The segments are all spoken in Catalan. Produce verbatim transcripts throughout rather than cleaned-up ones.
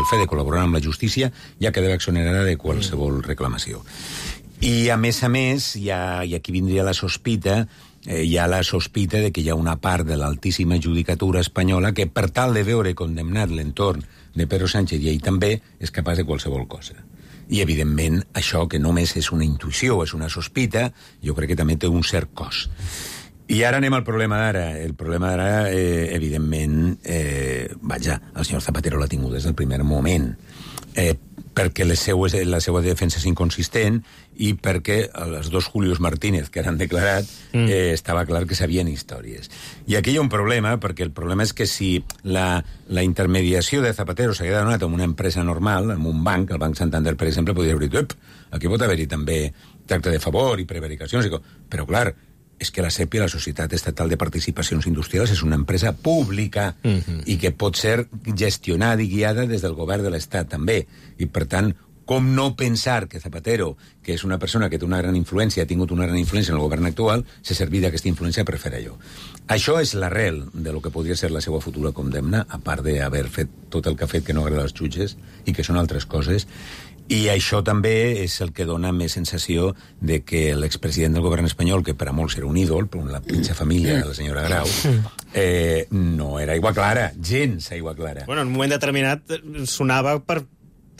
el fet de col·laborar amb la justícia ja quedava exonerada de qualsevol reclamació. I, a més a més, hi ha, i aquí vindria la sospita, eh, hi ha la sospita de que hi ha una part de l'altíssima judicatura espanyola que, per tal de veure condemnat l'entorn de Pedro Sánchez i ell també, és capaç de qualsevol cosa. I, evidentment, això, que només és una intuïció, és una sospita, jo crec que també té un cert cost. I ara anem al problema d'ara. El problema d'ara, eh, evidentment, eh, vaja, el senyor Zapatero l'ha tingut des del primer moment, eh, perquè les seues, la seva defensa és inconsistent i perquè els dos Julios Martínez que han declarat mm. eh, estava clar que sabien històries. I aquí hi ha un problema, perquè el problema és que si la, la intermediació de Zapatero s'hagués donat amb una empresa normal, amb un banc, el Banc Santander, per exemple, podria haver dit, aquí pot haver-hi també tracte de favor i prevaricacions, però clar, és que la SEPI, la Societat Estatal de Participacions Industrials, és una empresa pública uh-huh. i que pot ser gestionada i guiada des del govern de l'Estat també. I, per tant, com no pensar que Zapatero, que és una persona que té una gran influència, ha tingut una gran influència en el govern actual, se serví d'aquesta influència per fer allò. Això és l'arrel de lo que podria ser la seva futura condemna, a part d'haver fet tot el que ha fet que no agrada als jutges i que són altres coses. I això també és el que dona més sensació de que l'expresident del govern espanyol, que per a molts era un ídol, per la pitja família de la senyora Grau, eh, no era aigua clara, gens aigua clara. Bueno, en un moment determinat sonava per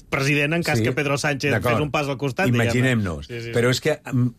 president en cas sí, que Pedro Sánchez fes un pas al costat. Imaginem-nos. Sí, sí. Però és que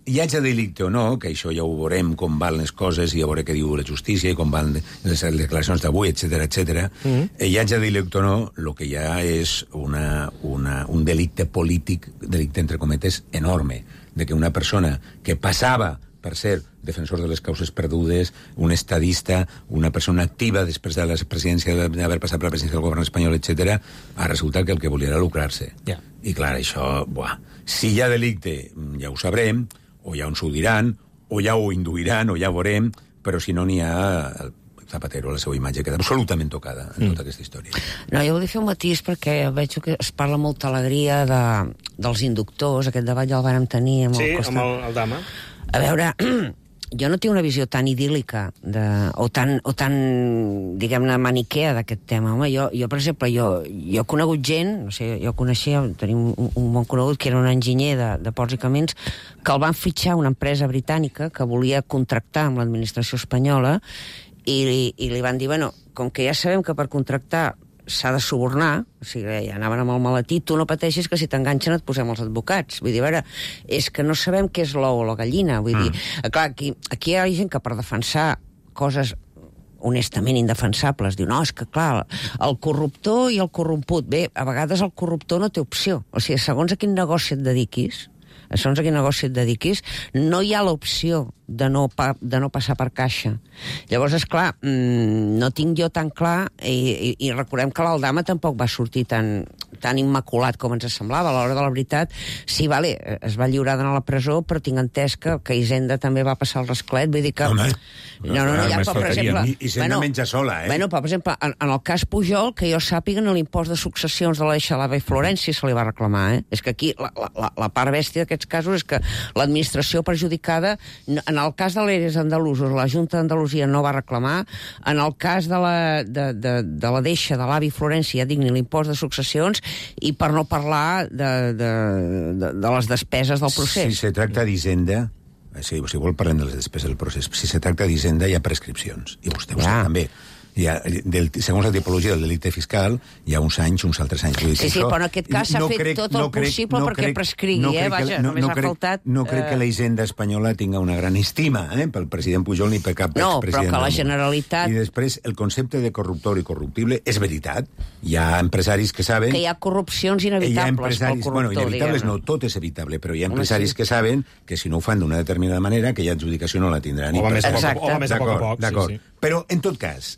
hi hagi delicte o no, que això ja ho veurem, com van les coses, i a veure què diu la justícia, i com van les declaracions d'avui, etcètera, etcètera. Mm-hmm. Hi hagi delicte o no, el que hi ha és una, una, un delicte polític, delicte entre cometes, enorme, de que una persona que passava per ser defensor de les causes perdudes, un estadista, una persona activa després de la presidència, d'haver passat per la presidència del govern espanyol, etcètera, ha resultat que el que volia era lucrar-se. Yeah. I clar, això, buah, si hi ha delicte, ja ho sabrem, o ja ens ho diran, o ja ho induiran, o ja ho veurem, però si no n'hi ha... Zapatero, la seva imatge queda absolutament tocada en mm. tota aquesta història. No, jo vull fer un matís perquè veig que es parla molta alegria de, dels inductors, aquest debat ja el vàrem tenir amb sí, el costat. amb el, el Dama. A veure, jo no tinc una visió tan idíl·lica de, o tan, o tan diguem-ne, maniquea d'aquest tema. Home, jo, jo per exemple, jo, jo he conegut gent, no sé, jo coneixia, tenim un, un bon conegut que era un enginyer de, de Ports i Camins, que el van fitxar una empresa britànica que volia contractar amb l'administració espanyola i, i li van dir, bueno, com que ja sabem que per contractar s'ha de subornar, o sigui, ja anaven amb el maletí, tu no pateixis que si t'enganxen et posem els advocats. Vull dir, a veure, és que no sabem què és l'ou o la gallina. Vull mm. dir, clar, aquí, aquí hi ha gent que per defensar coses honestament indefensables diu, no, és que clar, el corruptor i el corromput, bé, a vegades el corruptor no té opció. O sigui, segons a quin negoci et dediquis, segons a quin negoci et dediquis, no hi ha l'opció de no, pa, de no passar per caixa. Llavors, esclar, mmm, no tinc jo tan clar, i, i, i recordem que l'Aldama tampoc va sortir tan, tan immaculat com ens semblava. A l'hora de la veritat, sí, vale, es va lliurar d'anar a la presó, però tinc entès que, que Hisenda també va passar el rasclet, vull dir que... Home, no, no, no, ja, però, per exemple... Hisenda bueno, menja sola, eh? Bueno, però, per exemple, en, en el cas Pujol, que jo sàpiga, l'impost de successions de la Xalava i Florència se li va reclamar, eh? És que aquí la, la, la part bèstia d'aquests casos és que l'administració perjudicada, en el cas de l'Eres andalusos, la Junta d'Andalusia no va reclamar, en el cas de la, de, de, de la deixa de l'avi Florència, ja dic, ni l'impost de successions, i per no parlar de, de, de, de les despeses del procés. Si se tracta d'Hisenda, si, si vol parlem de les despeses del procés, si se tracta d'Hisenda hi ha prescripcions, i vostè ho ja. sap també. Hi ha, del, segons la tipologia del delicte fiscal, hi ha uns anys, uns altres anys. Sí, sí, però en aquest cas s'ha no fet crec, tot el no crec, possible no perquè crec, prescrigui, no eh? Vaja, no, només no ha crec, faltat... No crec eh... que la Hisenda espanyola tinga una gran estima eh? pel president Pujol ni per cap no, expresident. No, però que la Generalitat... I després, el concepte de corruptor i corruptible és veritat. Hi ha empresaris que saben... Que hi ha corrupcions inevitables pel corruptor, bueno, inevitables no, tot és evitable, però hi ha empresaris sí. que saben que si no ho fan d'una determinada manera, que ja adjudicació no la tindran. O va més a poc a poc. D'acord, sí, sí. Però, en tot cas,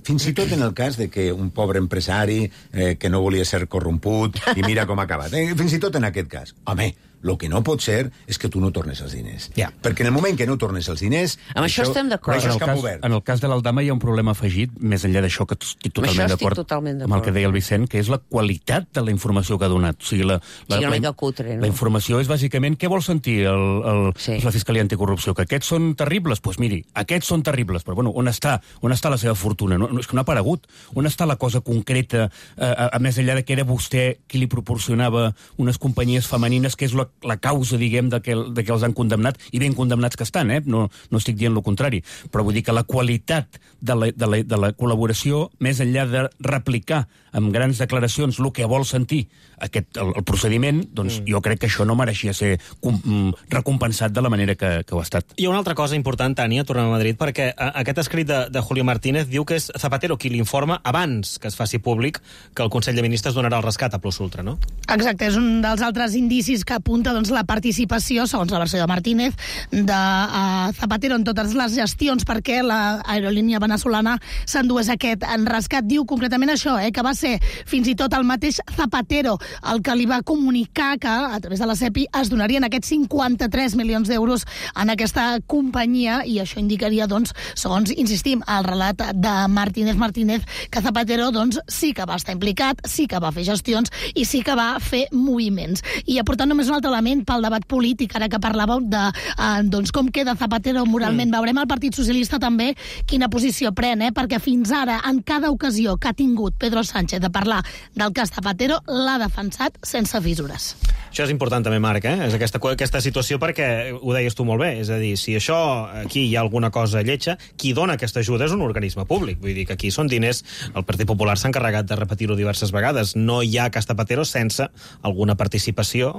fins i tot en el cas de que un pobre empresari eh, que no volia ser corromput i mira com ha acabat. Eh, fins i tot en aquest cas. Home, El que no pot ser és que tu no tornes els diners. Ja. Perquè en el moment que no tornes els diners... Amb això, això estem d'acord. En, el cas, en el cas de l'Aldama hi ha un problema afegit, més enllà d'això, que estic totalment d'acord amb el que deia el Vicent, que és la qualitat de la informació que ha donat. O sigui, la, la, sí, una la, mica cutre, no? La informació és bàsicament què vol sentir el, el, sí. la Fiscalia Anticorrupció, que aquests són terribles? Doncs pues miri, aquests són terribles, però bueno, on està, on està la seva fortuna? No, no, és que no ha aparegut. On està la cosa concreta, eh, a, a més enllà de que era vostè qui li proporcionava unes companyies femenines, que és la, la causa, diguem, de que, de que els han condemnat, i ben condemnats que estan, eh? no, no estic dient el contrari, però vull dir que la qualitat de la, de la, de la col·laboració, més enllà de replicar amb grans declaracions el que vol sentir aquest, el, el procediment, doncs mm. jo crec que això no mereixia ser com, recompensat de la manera que, que ho ha estat. I una altra cosa important, Tània, tornem a Madrid, perquè a, aquest escrit de, de Julio Martínez diu que és Zapatero qui l'informa abans que es faci públic que el Consell de Ministres donarà el rescat a Plus Ultra, no? Exacte, és un dels altres indicis que apunta doncs, la participació, segons la versió de Martínez, de uh, Zapatero en totes les gestions perquè l'aerolínia venezolana s'endués aquest en rescat. Diu concretament això, eh, que va ser fins i tot el mateix Zapatero el que li va comunicar que a través de la SEPI es donarien aquests cinquanta-tres milions d'euros en aquesta companyia, i això indicaria, doncs, segons insistim, el relat de Martínez Martínez, que Zapatero doncs, sí que va estar implicat, sí que va fer gestions i sí que va fer moviments. I aportant només un altre element pel debat polític, ara que parlàveu de eh, doncs, com queda Zapatero moralment. Mm. Veurem el Partit Socialista també quina posició pren, eh? perquè fins ara, en cada ocasió que ha tingut Pedro Sánchez de parlar del cas Zapatero, l'ha defensat sense fissures. Això és important també, Marc, eh? És aquesta, aquesta situació, perquè ho deies tu molt bé, és a dir, si això aquí hi ha alguna cosa lletja, qui dona aquesta ajuda és un organisme públic, vull dir que aquí són diners, el Partit Popular s'ha encarregat de repetir-ho diverses vegades, no hi ha cas Zapatero sense alguna participació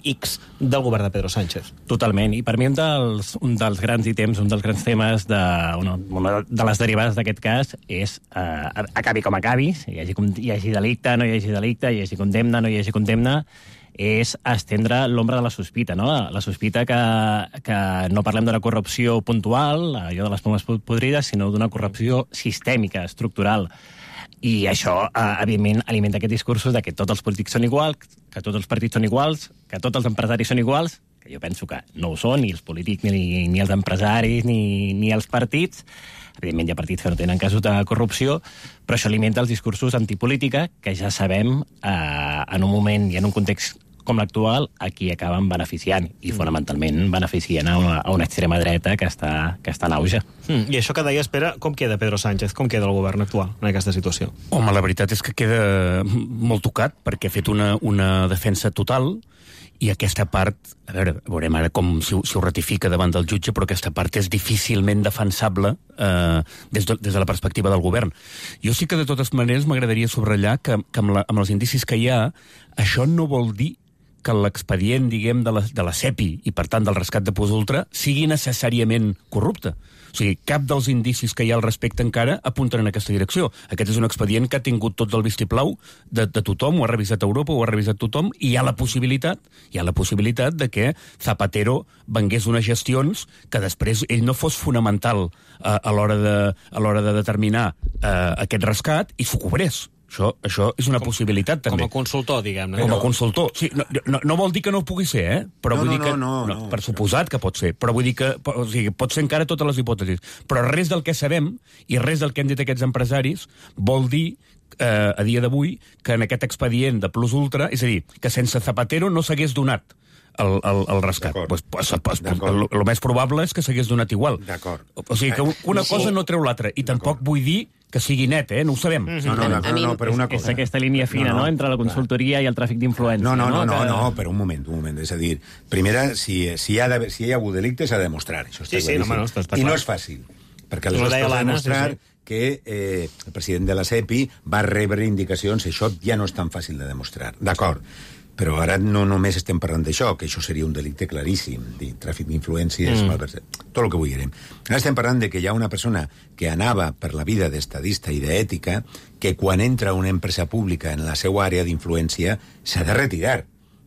X del govern de Pedro Sánchez. Totalment, i per mi un dels, un dels grans ítems, un dels grans temes de, una, una de les derivades d'aquest cas és eh, acabi com acabi, hi hagi, hi hagi delicte, no hi hagi delicte, hi hagi condemna, no hi hagi condemna, és estendre l'ombra de la sospita, no? La sospita que, que no parlem d'una corrupció puntual, allò de les pomes podrides, sinó d'una corrupció sistèmica, estructural. I això, eh, evidentment, alimenta aquests discursos de que tots els polítics són iguals, que tots els partits són iguals, que tots els empresaris són iguals, que jo penso que no ho són, ni els polítics, ni, ni els empresaris, ni, ni els partits. Evidentment hi ha partits que no tenen casos de corrupció, però això alimenta els discursos antipolítica, que ja sabem, eh, en un moment i en un context com l'actual, a qui acaben beneficiant, i fonamentalment beneficien a una, a una extrema dreta que està, que està en auge. Mm, I això que deies, Pere, com queda Pedro Sánchez? Com queda el govern actual en aquesta situació? Home, la veritat és que queda molt tocat, perquè ha fet una, una defensa total, i aquesta part, a veure, veurem ara com si, si ho ratifica davant del jutge, però aquesta part és difícilment defensable eh, des, de, des de la perspectiva del govern. Jo sí que, de totes maneres, m'agradaria subratllar que, que amb, la, amb els indicis que hi ha, això no vol dir que l'expedient, diguem, de la, de la SEPI i, per tant, del rescat de Plus Ultra sigui necessàriament corrupte. O sigui, cap dels indicis que hi ha al respecte encara apunten en aquesta direcció. Aquest és un expedient que ha tingut tot el vistiplau de, de tothom, ho ha revisat Europa, ho ha revisat tothom, i hi ha la possibilitat, hi ha la possibilitat de que Zapatero vengués unes gestions que després ell no fos fonamental a, a l'hora de, a l'hora de determinar eh, aquest rescat i s'ho cobrés. Això, això és una com, possibilitat, també. Com a consultor, diguem-ne. Com a consultor. Sí, no, no, no vol dir que no pugui ser, eh? Però no, vull no, dir que, no, no, no, per suposat que pot ser, però vull dir que o sigui, pot ser encara totes les hipòtesis. Però res del que sabem i res del que han dit aquests empresaris vol dir eh, a dia d'avui que en aquest expedient de Plus Ultra, és a dir, que sense Zapatero no s'hagués donat el, el, el rescat. Pues, pues, pues, el, el més probable és que s'hagués donat igual. D'acord. O sigui, que una cosa no treu l'altra, i tampoc vull dir que sigui net, eh? No ho sabem. Mm-hmm. No, no, no, no, no, però una cosa... És aquesta línia fina, no, no, no? Entre la consultoria clar. I el tràfic d'influència. No, no, no, no, que... no, no, però un moment, un moment. És a dir, primera, si, si, hi, ha si hi ha hagut delicte, s'ha de demostrar. Això està sí, sí, no, no, està, està I clar. no és fàcil, perquè aleshores s'ha de demostrar sí, sí. que eh, el president de la SEPI va rebre indicacions, això ja no és tan fàcil de demostrar. D'acord. Però ara no només estem parlant d'això, que això seria un delicte claríssim, dir, tràfic d'influències, mm. tot el que vulguem. Ara estem parlant de que hi ha una persona que anava per la vida d'estadista i d'ètica, que quan entra una empresa pública en la seva àrea d'influència s'ha de retirar,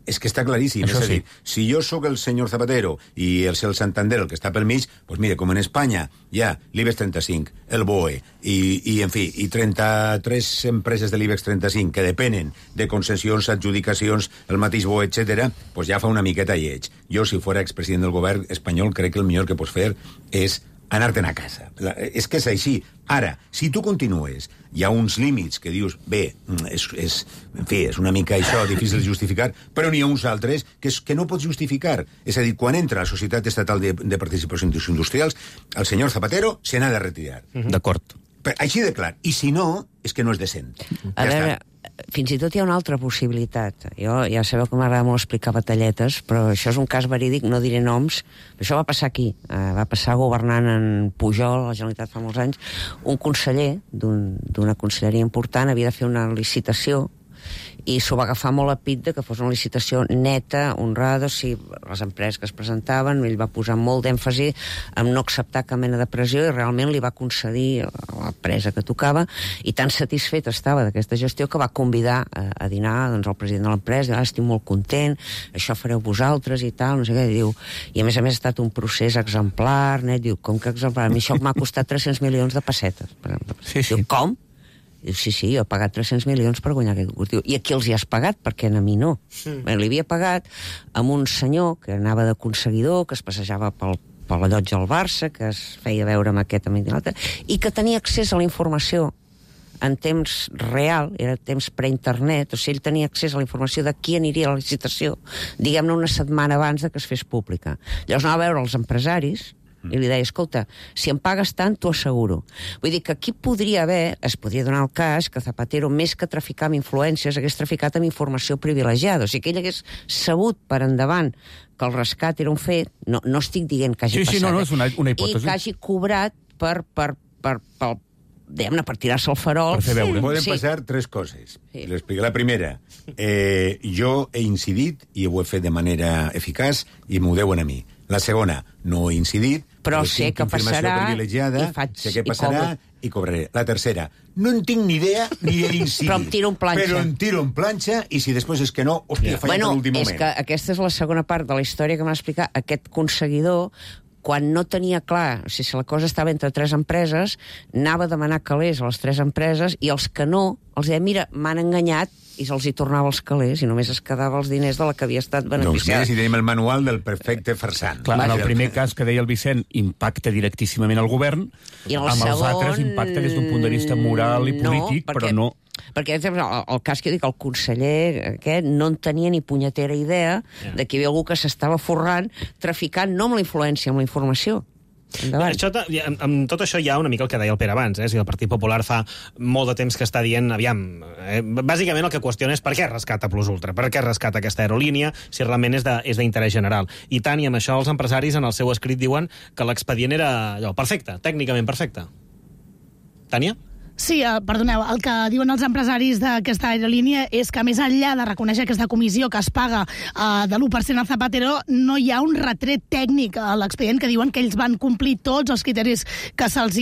És que està claríssim. Això és a sí. dir, si jo sóc el senyor Zapatero i el, el Santander, el que està pel mig, doncs mira, com en Espanya hi ha l'IBEX trenta-cinc, el B O E, i, i en fi, i trenta-tres empreses de l'IBEX trenta-cinc que depenen de concessions, adjudicacions, el mateix B O E, etcètera, doncs ja fa una miqueta lleig. Jo, si fos expresident del govern espanyol, crec que el millor que pots fer és anar-te'n a casa. La, és que és així. Ara, si tu continues, hi ha uns límits que dius, bé, és, és, en fi, és una mica això difícil de justificar, però n'hi ha uns altres que, és, que no pots justificar. És a dir, quan entra la Societat Estatal de, de Participacions Industrials, el senyor Zapatero se n'ha de retirar. Uh-huh. D'acord. Però, així de clar. I si no, és que no és decent. A ja veure, està. fins i tot hi ha una altra possibilitat. Jo ja sabeu que m'agrada molt explicar batalletes, però això és un cas verídic, no diré noms. Això va passar aquí. Uh, va passar governant en Pujol, a la Generalitat fa molts anys. Un conseller d'una un, conselleria important havia de fer una licitació i s'ho va agafar molt a pit de que fos una licitació neta, honrada, o sigui, les empreses que es presentaven, ell va posar molt d'èmfasi en no acceptar cap mena de pressió i realment li va concedir a l'empresa que tocava, i tan satisfet estava d'aquesta gestió que va convidar a, a dinar doncs, el president de l'empresa, ah, estic molt content, això fareu vosaltres i tal, no sé què, i diu, i a més a més ha estat un procés exemplar, net, diu, com que exemplar? A mi això m'ha costat tres-cents milions de pessetes. Per exemple. Sí, sí. Diu, com? Diu, sí, sí, jo he pagat tres-cents milions per guanyar aquest concurs. Diu, i a qui els hi has pagat? Perquè a mi no. Mm. Bé, li havia pagat amb un senyor que anava d'aconseguidor, que es passejava pel, per la llotja al Barça, que es feia veure amb aquest amic i l'altre, i que tenia accés a la informació en temps real, era temps pre-internet, o sigui, ell tenia accés a la informació de qui aniria a la licitació, diguem-ne una setmana abans de que es fes pública. Llavors anava a veure els empresaris, i li deia, escolta, si em pagues tant, t'ho asseguro. Vull dir que aquí podria haver, es podria donar el cas que Zapatero, més que traficar amb influències, hagués traficat amb informació privilegiada. O sigui, que ell hagués sabut per endavant que el rescat era un fet, no, no estic dient que hagi sí, passat, sí, no, no, és una, una hipòtesi. i que hagi cobrat per, per, per, per, diguem-ne, per tirar-se el farol. Per fer veure. Poden Sí. passar tres coses. Sí. L'explico. La primera, eh, jo he incidit i ho he fet de manera eficaç i m'ho deuen a mi. La segona, no he incidit, Però però sé tinc que informació passarà privilegiada, i faig- sé què i passarà cobro. i cobraré. La tercera, no en tinc ni idea ni he incidit. Però em tiro en planxa. Però em tiro en planxa i si després és que no, hòstia, he fallat Bueno, a l'últim és moment. que aquesta és la segona part de la història que m'ha explicat. Aquest conseguidor, quan no tenia clar, o sigui, si la cosa estava entre tres empreses, anava a demanar calés a les tres empreses i els que no, els deia, mira, m'han enganyat, i se'ls hi tornava els calés i només es quedava els diners de la que havia estat Doncs beneficiada. mira, si tenim el manual del perfecte farsant. Clar, en el primer cas que deia el Vicent, impacta directíssimament el govern, I el amb els segon, altres impacta des d'un punt de vista moral i polític, no, però no... Perquè, el, el cas que jo dic, el conseller aquest no en tenia ni punyetera idea Ja. de que hi havia algú que s'estava forrant, traficant no amb la influència, amb la informació. Endavant. Això, amb, amb tot això hi ha una mica el que deia el Pere abans, eh? Si el Partit Popular fa molt de temps que està dient, aviam, eh? bàsicament el que qüestiona és per què rescata Plus Ultra, per què rescata aquesta aerolínia, si realment és d'interès general. I tant, i amb això els empresaris en el seu escrit diuen que l'expedient era allò, perfecte, tècnicament perfecte. Tània? Sí, eh, perdoneu, el que diuen els empresaris d'aquesta aerolínia és que més enllà de reconèixer aquesta comissió que es paga eh, de l'u per cent a Zapatero, no hi ha un retret tècnic a l'expedient que diuen que ells van complir tots els criteris que se'ls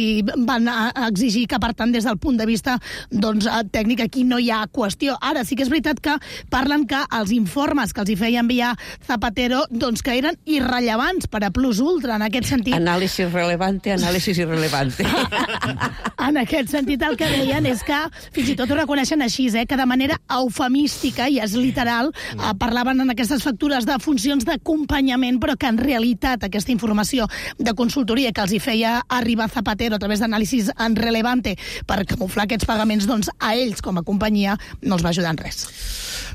van a, a exigir, que per tant des del punt de vista doncs, tècnic aquí no hi ha qüestió. Ara sí que és veritat que parlen que els informes que els hi feia enviar Zapatero doncs que eren irrellevants per a Plus Ultra en aquest sentit. Anàlisi relevante, anàlisi irrelevante. En aquest sentit el que deien és que, fins i tot ho reconeixen així, eh, que de manera eufemística, i és literal, eh, parlaven en aquestes factures de funcions d'acompanyament, però que en realitat aquesta informació de consultoria que els hi feia arribar Zapatero a través d'anàlisis en relevante per camuflar aquests pagaments, doncs a ells com a companyia no els va ajudar en res.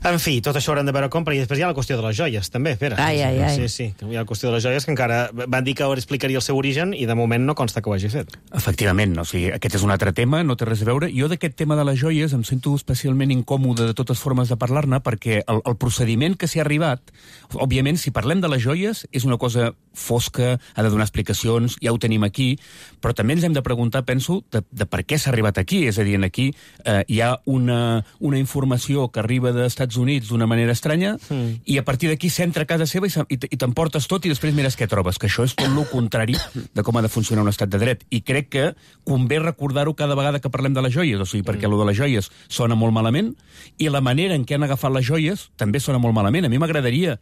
En fi, tot això hauran de veure compra, i després hi ha la qüestió de les joies, també, Pere. Ai, ai, ai. Sí, sí, hi ha la qüestió de les joies, que encara van dir que explicaria el seu origen, i de moment no consta que ho hagi fet. Efectivament, o sigui, aquest és un altre tema, no té res a veure. Jo d'aquest tema de les joies em sento especialment incòmode de totes formes de parlar-ne, perquè el, el procediment que s'hi ha arribat, òbviament, si parlem de les joies, és una cosa fosca, ha de donar explicacions, ja ho tenim aquí, però també ens hem de preguntar, penso, de, de per què s'ha arribat aquí. És a dir, aquí eh, hi ha una, una informació que arriba dels Estats Units d'una manera estranya mm. i a partir d'aquí s'entra a casa seva i, i, i t'emportes tot i després mires què trobes, que això és tot el contrari de com ha de funcionar un estat de dret. I crec que convé recordar-ho cada vegada que parlem de les joies, o sigui, perquè mm. allò de les joies sona molt malament i la manera en què han agafat les joies també sona molt malament. A mi m'agradaria,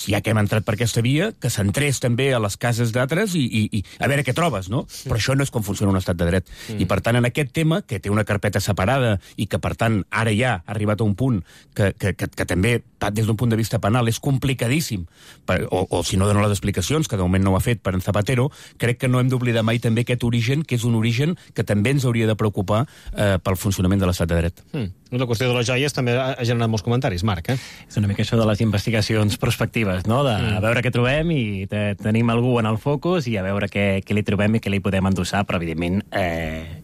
ja que hem entrat per aquesta via, que s'entrés també a les cases d'altres i, i, i a veure què trobes, no? Mm. Però això no és com funciona un estat de dret. Mm. I per tant, en aquest tema, que té una carpeta separada i que per tant ara ja ha arribat a un punt que, que, que, que també, des d'un punt de vista penal, és complicadíssim, per, o, o si no dono les explicacions, que de moment no ho ha fet per en Zapatero, crec que no hem d'oblidar mai també aquest origen, que és un origen que també ens hauria de preocupar eh, pel funcionament de l'estat de dret. Mm. La qüestió de les joies també ha generat molts comentaris, Marc, eh? És una mica això de les investigacions prospectives, no? De mm. veure què trobem i te, tenim algú en el focus i a veure què, què li trobem i què li podem endossar, però evidentment, eh,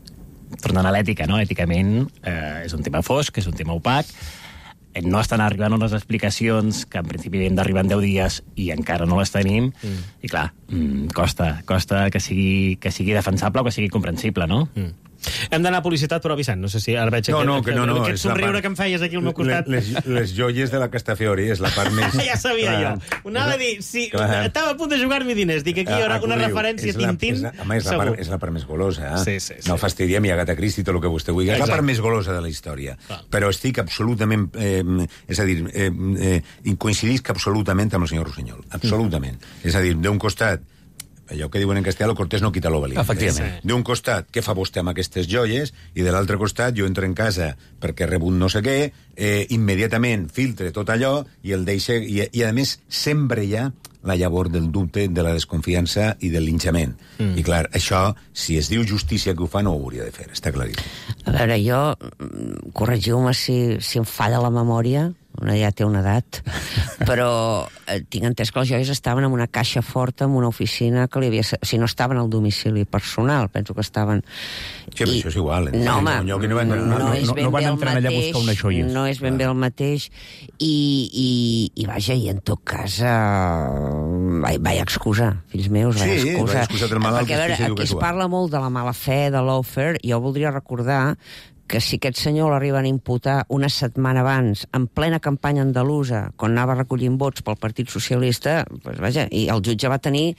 tornant a l'ètica, no? Èticament eh, és un tema fosc, és un tema opac, no estan arribant unes explicacions que en principi hem d'arribar en deu dies i encara no les tenim, mm. i clar, mm, costa, costa que sigui, que sigui defensable o que sigui comprensible, no? Mm. Hem d'anar a publicitat, però Vicent, no sé si ara veig no, no, que, no, no, aquest somriure part... que em feies aquí al meu costat. Les, les joies de la Castafiori és la part més... Ja sabia clar, jo. Ho anava a dir, si clar. Estava a punt de jugar-me diners, dic que aquí hi haurà una referència a Tintín, és la, home, és la, part, és la part més golosa, eh? Sí, sí, sí. No fastidiem i Agatha Christie, tot el que vostè vulgui. És la part més golosa de la història. Ah. Però estic absolutament... Eh, és a dir, eh, eh, coincidisc absolutament amb el senyor Rossinyol. Absolutament. Mm. És a dir, d'un costat, allò que diuen en castellà, lo cortés no quita lo valiente. Efectivament. Sí. D'un costat, què fa vostè amb aquestes joies? I de l'altre costat, jo entro en casa perquè he rebut no sé què, eh, immediatament filtre tot allò i el deixe... I, i a més, sempre hi ha la llavor del dubte, de la desconfiança i del linxament. Mm. I clar, això, si es diu justícia que ho fa, no ho hauria de fer, està claríssim. A veure, jo, corregiu-me si, si em falla la memòria, una ja té una edat, però eh, tinc entès que les joies estaven en una caixa forta, en una oficina que li havia... O sigui, no estaven al domicili personal, penso que estaven... Sí, però I... això és igual. Eh? No, home, no, no, van, no, no, és ben no van bé el entrar allà a mateix, buscar unes joies. no és ben bé el mateix, i, i, i vaja, i en tot cas, eh, vaig, vaig excusar, fills meus, vaig sí, excusar. vaig excusar del malalt, perquè, a veure, aquí es parla molt de la mala fe, de l'offer, jo voldria recordar que si aquest senyor l'arriben a imputar una setmana abans, en plena campanya andalusa, quan anava recollint vots pel Partit Socialista, doncs vaja, i el jutge va tenir,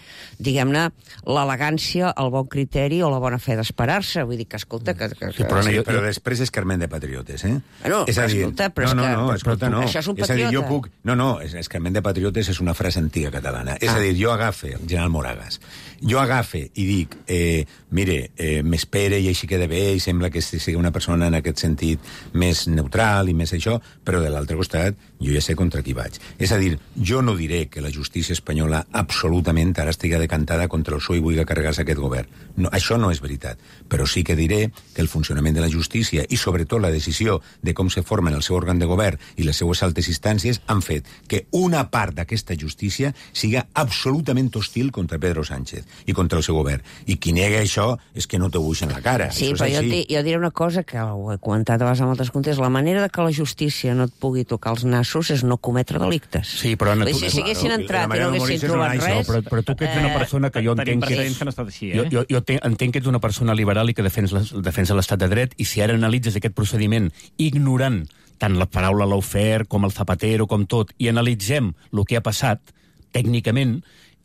diguem-ne, l'elegància, el bon criteri o la bona fe d'esperar-se. Vull dir que, escolta... Que, que, sí, però, que... no, però després és Carmen de Patriotes, eh? No, és a dir, escolta, però no, no, és que... no, escolta, no. Això és un patriota. És a dir, jo puc... No, no, és, és Carmen de Patriotes és una frase antiga catalana. És ah. a dir, jo agafe, el general Moragas, jo agafe i dic, eh, mire, eh, m'espere i així queda bé i sembla que sigui una persona en aquest sentit més neutral i més això, però de l'altre costat jo ja sé contra qui vaig. És a dir, jo no diré que la justícia espanyola absolutament ara estigui decantada contra el P S O E i vulgui carregar-se aquest govern. No, això no és veritat. Però sí que diré que el funcionament de la justícia i sobretot la decisió de com se formen el seu òrgan de govern i les seues altes instàncies han fet que una part d'aquesta justícia siga absolutament hostil contra Pedro Sánchez i contra el seu govern. I qui nega això és que no té buix en la cara. Sí, això però jo, di, jo diré una cosa que ho he comentat a vegades en altres contes, la manera de que la justícia no et pugui tocar els nassos és no cometre delictes. Sí, però... Anna, tu, si haguessin entrat i no haguessin trobat res... Però, però tu que ets una persona que jo entenc que... que no així, eh? Jo, jo, jo te, entenc que ets una persona liberal i que defensa, defensa l'estat de dret, i si ara analitzes aquest procediment ignorant tant la paraula lawfare com el Zapatero, com tot, i analitzem el que ha passat, tècnicament,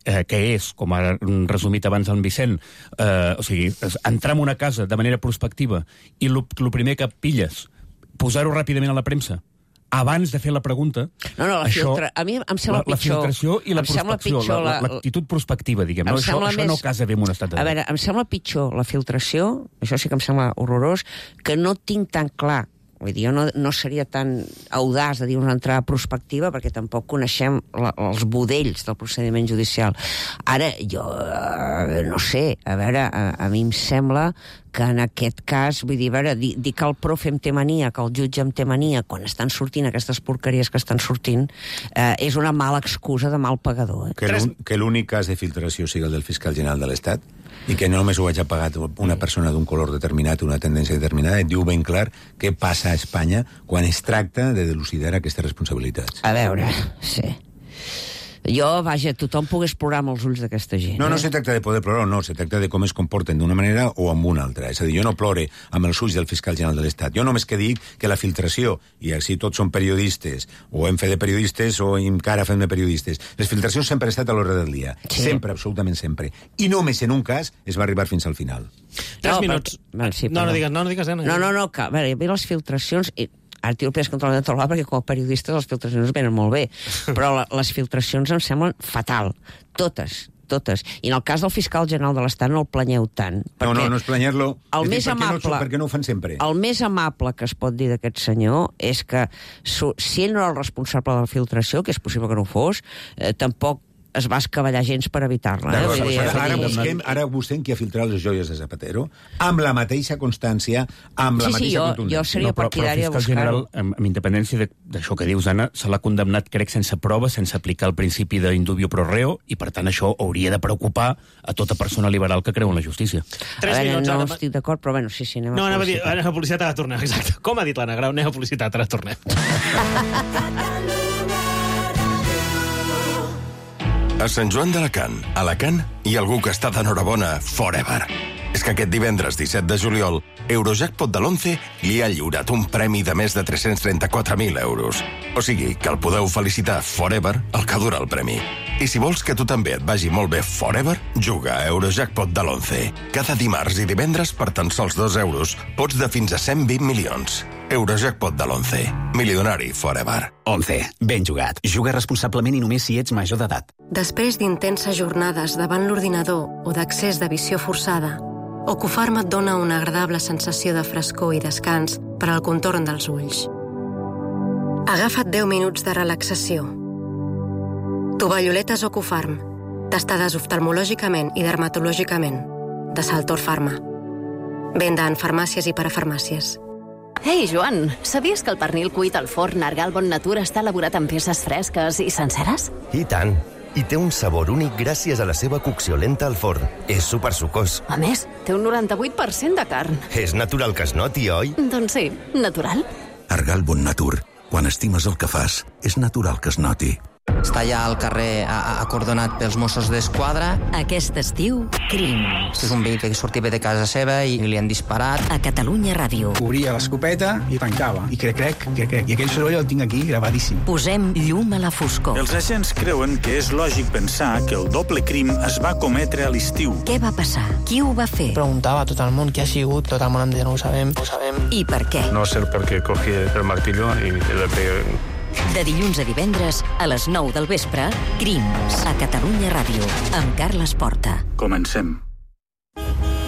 eh, que és, com ha resumit abans en Vicent, eh, o sigui, entrar en una casa de manera prospectiva i el primer que pilles, posar-ho ràpidament a la premsa, abans de fer la pregunta... No, no, la això, filtra... A mi em sembla la, pitjor... La filtració i la prospecció, l'actitud la, prospectiva, diguem. No? Això, això més... no casa bé en un estat de dret. A veure, em sembla pitjor la filtració, això sí que em sembla horrorós, que no tinc tan clar. Vull dir, jo no, no seria tan audaç de dir una entrada prospectiva perquè tampoc coneixem la, els budells del procediment judicial. Ara, jo eh, no sé, a veure, a, a mi em sembla que en aquest cas, vull dir, a veure, dir, dir que el profe em té mania, que el jutge em té mania, quan estan sortint aquestes porqueries que estan sortint, eh, és una mala excusa de mal pagador. Eh? Que l'únic cas de filtració sigui el del fiscal general de l'Estat, i que no només ho hagi pagat una persona d'un color determinat, una tendència determinada, et diu ben clar què passa a Espanya quan es tracta de dilucidar aquestes responsabilitats. A veure, sí. Jo, vaja, tothom pogués plorar amb els ulls d'aquesta gent. No, no eh? se tracta de poder plorar, no, se tracta de com es comporten d'una manera o amb una altra. És a dir, jo no plore amb els ulls del fiscal general de l'Estat. Jo només que dic que la filtració, i així tots són periodistes, o hem fet de periodistes o encara fem de periodistes, les filtracions sempre han estat a l'ordre del dia. Sí. Sempre, absolutament sempre. I només en un cas es va arribar fins al final. Tres No, minuts. perquè- Val, sí, no, no perdó. digues, no, no digues, Anna. No, no, no, que, a veure, hi havia les filtracions... I... Ara tio el pes contra la taula perquè com a periodistes les filtracions venen molt bé, però la, les filtracions em semblen fatal. Totes, totes. I en el cas del fiscal general de l'Estat no el planyeu tant. No, no, no és planyar-lo. El És més dir, per què amable... No, per què no ho fan sempre? El més amable que es pot dir d'aquest senyor és que su, si ell no era el responsable de la filtració, que és possible que no ho fos, eh, tampoc es va escavallar gens per evitar-la. Eh? Ara, Vull dir, ara, ara, vull dir- busquem, ara busquem qui ha filtrat les joies de Zapatero amb la mateixa constància, amb la Sí, sí, mateixa jo, contundència. jo seria però, però partidari el de fiscal general, buscar-ho. amb, amb independència de- d'això que dius, Anna, se l'ha condemnat, crec, sense prova, sense aplicar el principi d'indubio pro reo, i per tant això hauria de preocupar a tota persona liberal que creu en la justícia. Tres a veure, minuts, no Anna. estic d'acord, però bueno, sí, sí, anem No, a anava a dir, publicitat. anem a publicitat, ara tornem, exacte. Com ha dit l'Anna Grau, anem a publicitat, ara tornem. A Sant Joan d'Alacant, Alacant, hi ha algú que està d'enhorabona forever. És que aquest divendres disset de juliol, Eurojackpot de l'onze li ha lliurat un premi de més de tres-cents trenta-quatre mil euros. O sigui, que el podeu felicitar forever el que dura el premi. I si vols que tu també et vagi molt bé forever, juga a Eurojackpot de l'onze. Cada dimarts i divendres, per tan sols dos euros, pots de fins a cent vint milions. Eurojackpot de l'onze. Milionari forever. onze. Ben jugat. Juga responsablement i només si ets major d'edat. Després d'intenses jornades davant l'ordinador o d'accés de visió forçada, Ocufarma et dona una agradable sensació de frescor i descans per al contorn dels ulls. Agafa't deu minuts de relaxació. Tovalloletes Ocufarm, testades oftalmològicament i dermatològicament, de Saltor Pharma. Venda en farmàcies i parafarmàcies. Ei, Joan, sabies que el pernil cuit al forn Argal Bon Natura està elaborat amb peces fresques i senceres? I tant. I té un sabor únic gràcies a la seva cocció lenta al forn. És supersucós. A més, té un noranta-vuit per cent de carn. És natural que es noti, oi? Doncs sí, natural. Argal Bon Natur. Quan estimes el que fas, és natural que es noti. Està allà al carrer acordonat pels Mossos d'Esquadra. Aquest estiu, Crims. És un veí que sortia de casa seva i li han disparat. A Catalunya Ràdio. Obria l'escopeta i tancava. I crec, crec, crec, crec. I aquell soroll el tinc aquí gravadíssim. Posem llum a la foscor. Els agents creuen que és lògic pensar que el doble crim es va cometre a l'estiu. Què va passar? Qui ho va fer? Preguntava a tot el món qui ha sigut. Tot el món em deia, no ho sabem, no ho sabem. I per què? No sé per què cogí el martillo i le pegué. De dilluns a divendres, a les nou del vespre, Crims, a Catalunya Ràdio, amb Carles Porta. Comencem.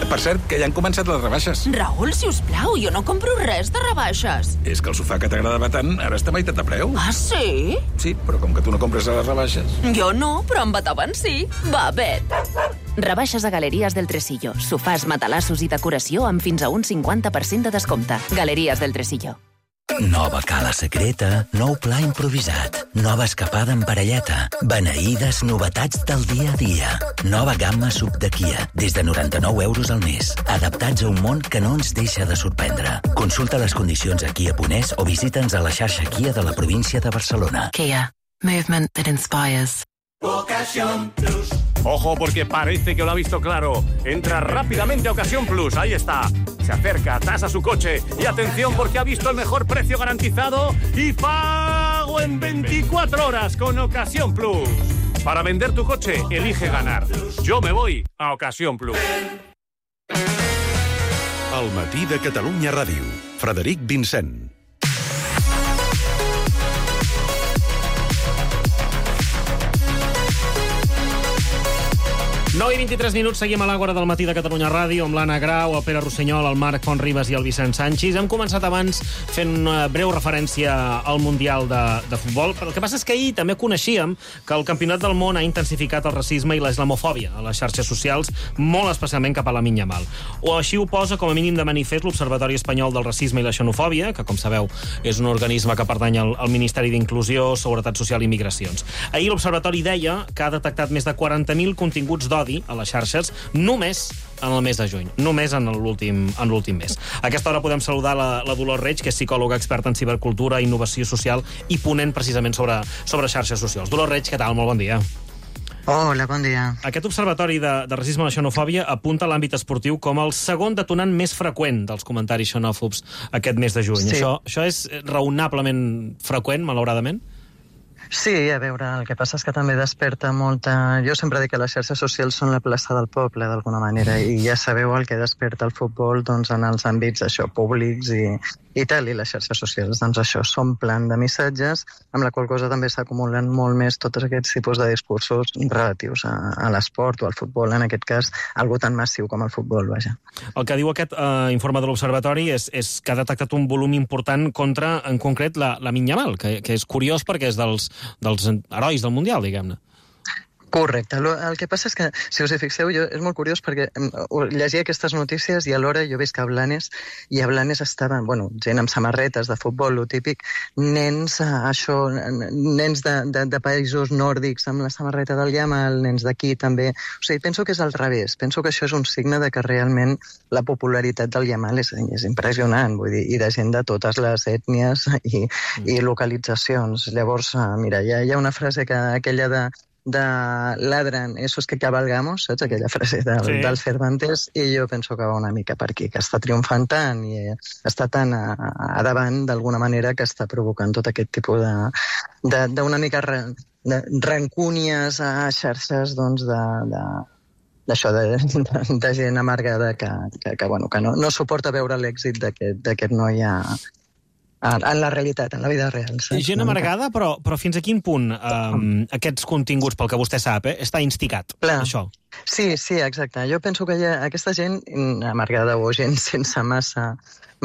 Per cert, que ja han començat les rebaixes. Raül, si us plau, jo no compro res de rebaixes. És que el sofà que t'agradava tant ara està a meitat de preu. Ah, sí? Sí, però com que tu no compres a les rebaixes... Jo no, però en Beethoven sí. Va, vet. Rebaixes a Galeries del Tresillo. Sofàs, matalassos i decoració amb fins a un cinquanta per cent de descompte. Galeries del Tresillo. Nova cala secreta, nou pla improvisat, nova escapada en parelleta, beneïdes novetats del dia a dia. Nova gamma sub de Kia, des de noranta-nou euros al mes. Adaptats a un món que no ens deixa de sorprendre. Consulta les condicions a Kia punt es o visita'ns a la xarxa Kia de la província de Barcelona. Kia. Movement that inspires. Ocasión Plus. Ojo, porque parece que lo ha visto claro. Entra rápidamente a Ocasión Plus. Ahí está. Se acerca, tasa su coche. Y atención, porque ha visto el mejor precio garantizado y pago en veinticuatro horas con Ocasión Plus. Para vender tu coche, elige ganar. Yo me voy a Ocasión Plus. El matí de Catalunya Ràdio. Frederic Vincent. nou i vint-i-tres minuts, seguim a l'Àgora del matí de Catalunya Ràdio amb l'Anna Grau, el Pere Rossinyol, el Marc Fontribas i el Vicent Sanchis. Hem començat abans fent una breu referència al Mundial de, de Futbol. Però el que passa és que ahir també coneixíem que el Campionat del Món ha intensificat el racisme i la islamofòbia a les xarxes socials, molt especialment cap a la Minya Mal. O així ho posa com a mínim de manifest l'Observatori Espanyol del Racisme i la Xenofòbia, que, com sabeu, és un organisme que pertany al, al Ministeri d'Inclusió, Seguretat Social i Migracions. Ahir l'Observatori deia que ha detectat més de quaranta mil continguts d'odi a les xarxes només en el mes de juny, només en l'últim en l'últim mes. A aquesta hora podem saludar la, la Dolors Reig, que és psicòloga experta en cibercultura, innovació social i ponent precisament sobre, sobre xarxes socials. Dolors Reig, què tal? Molt bon dia. Hola, bon dia. Aquest observatori de, de racisme i la xenofòbia apunta a l'àmbit esportiu com el segon detonant més freqüent dels comentaris xenòfobs aquest mes de juny. Sí. Això, això és raonablement freqüent, malauradament? Sí, a veure, el que passa és que també desperta molta... Jo sempre dic que les xarxes socials són la plaça del poble, d'alguna manera, i ja sabeu el que desperta el futbol doncs, en els àmbits això, públics i, i tal, i les xarxes socials, doncs això, s'omplen de missatges, amb la qual cosa també s'acumulen molt més tots aquests tipus de discursos relatius a, a l'esport o al futbol, en aquest cas, algo tan massiu com el futbol, vaja. El que diu aquest eh, informe de l'Observatori és, és que ha detectat un volum important contra, en concret, la, la Yamal, que, que és curiós perquè és dels dels herois del Mundial, diguem-ne. Correcte. El que passa és que, si us hi fixeu, jo, és molt curiós perquè llegia aquestes notícies i alhora jo veig que a Blanes, i a Blanes estaven, bueno, gent amb samarretes de futbol, lo típic, nens, això, nens de, de, de països nòrdics amb la samarreta del Yamal, nens d'aquí també. O sigui, penso que és al revés. Penso que això és un signe de que realment la popularitat del Yamal és, és impressionant, vull dir, i de gent de totes les ètnies i, i localitzacions. Llavors, mira, hi ha, hi ha una frase que aquella de de ladran, eso es que cabalgamos, saps? Aquella frase del, sí. del Cervantes, i jo penso que va una mica per aquí, que està triomfant tant i està tan a, a davant d'alguna manera que està provocant tot aquest tipus de, de, d'una mica re, de rancúnies a xarxes, doncs, de, de d'això, de, de, de gent amargada que, que, que, bueno, que no, no suporta veure l'èxit d'aquest noi a en la realitat, en la vida real. Saps? Gent amargada, però, però fins a quin punt um, aquests continguts, pel que vostè sap, eh, està instigat, Clar. això? Sí, sí, exacte. Jo penso que hi ha aquesta gent amargada o gent sense massa,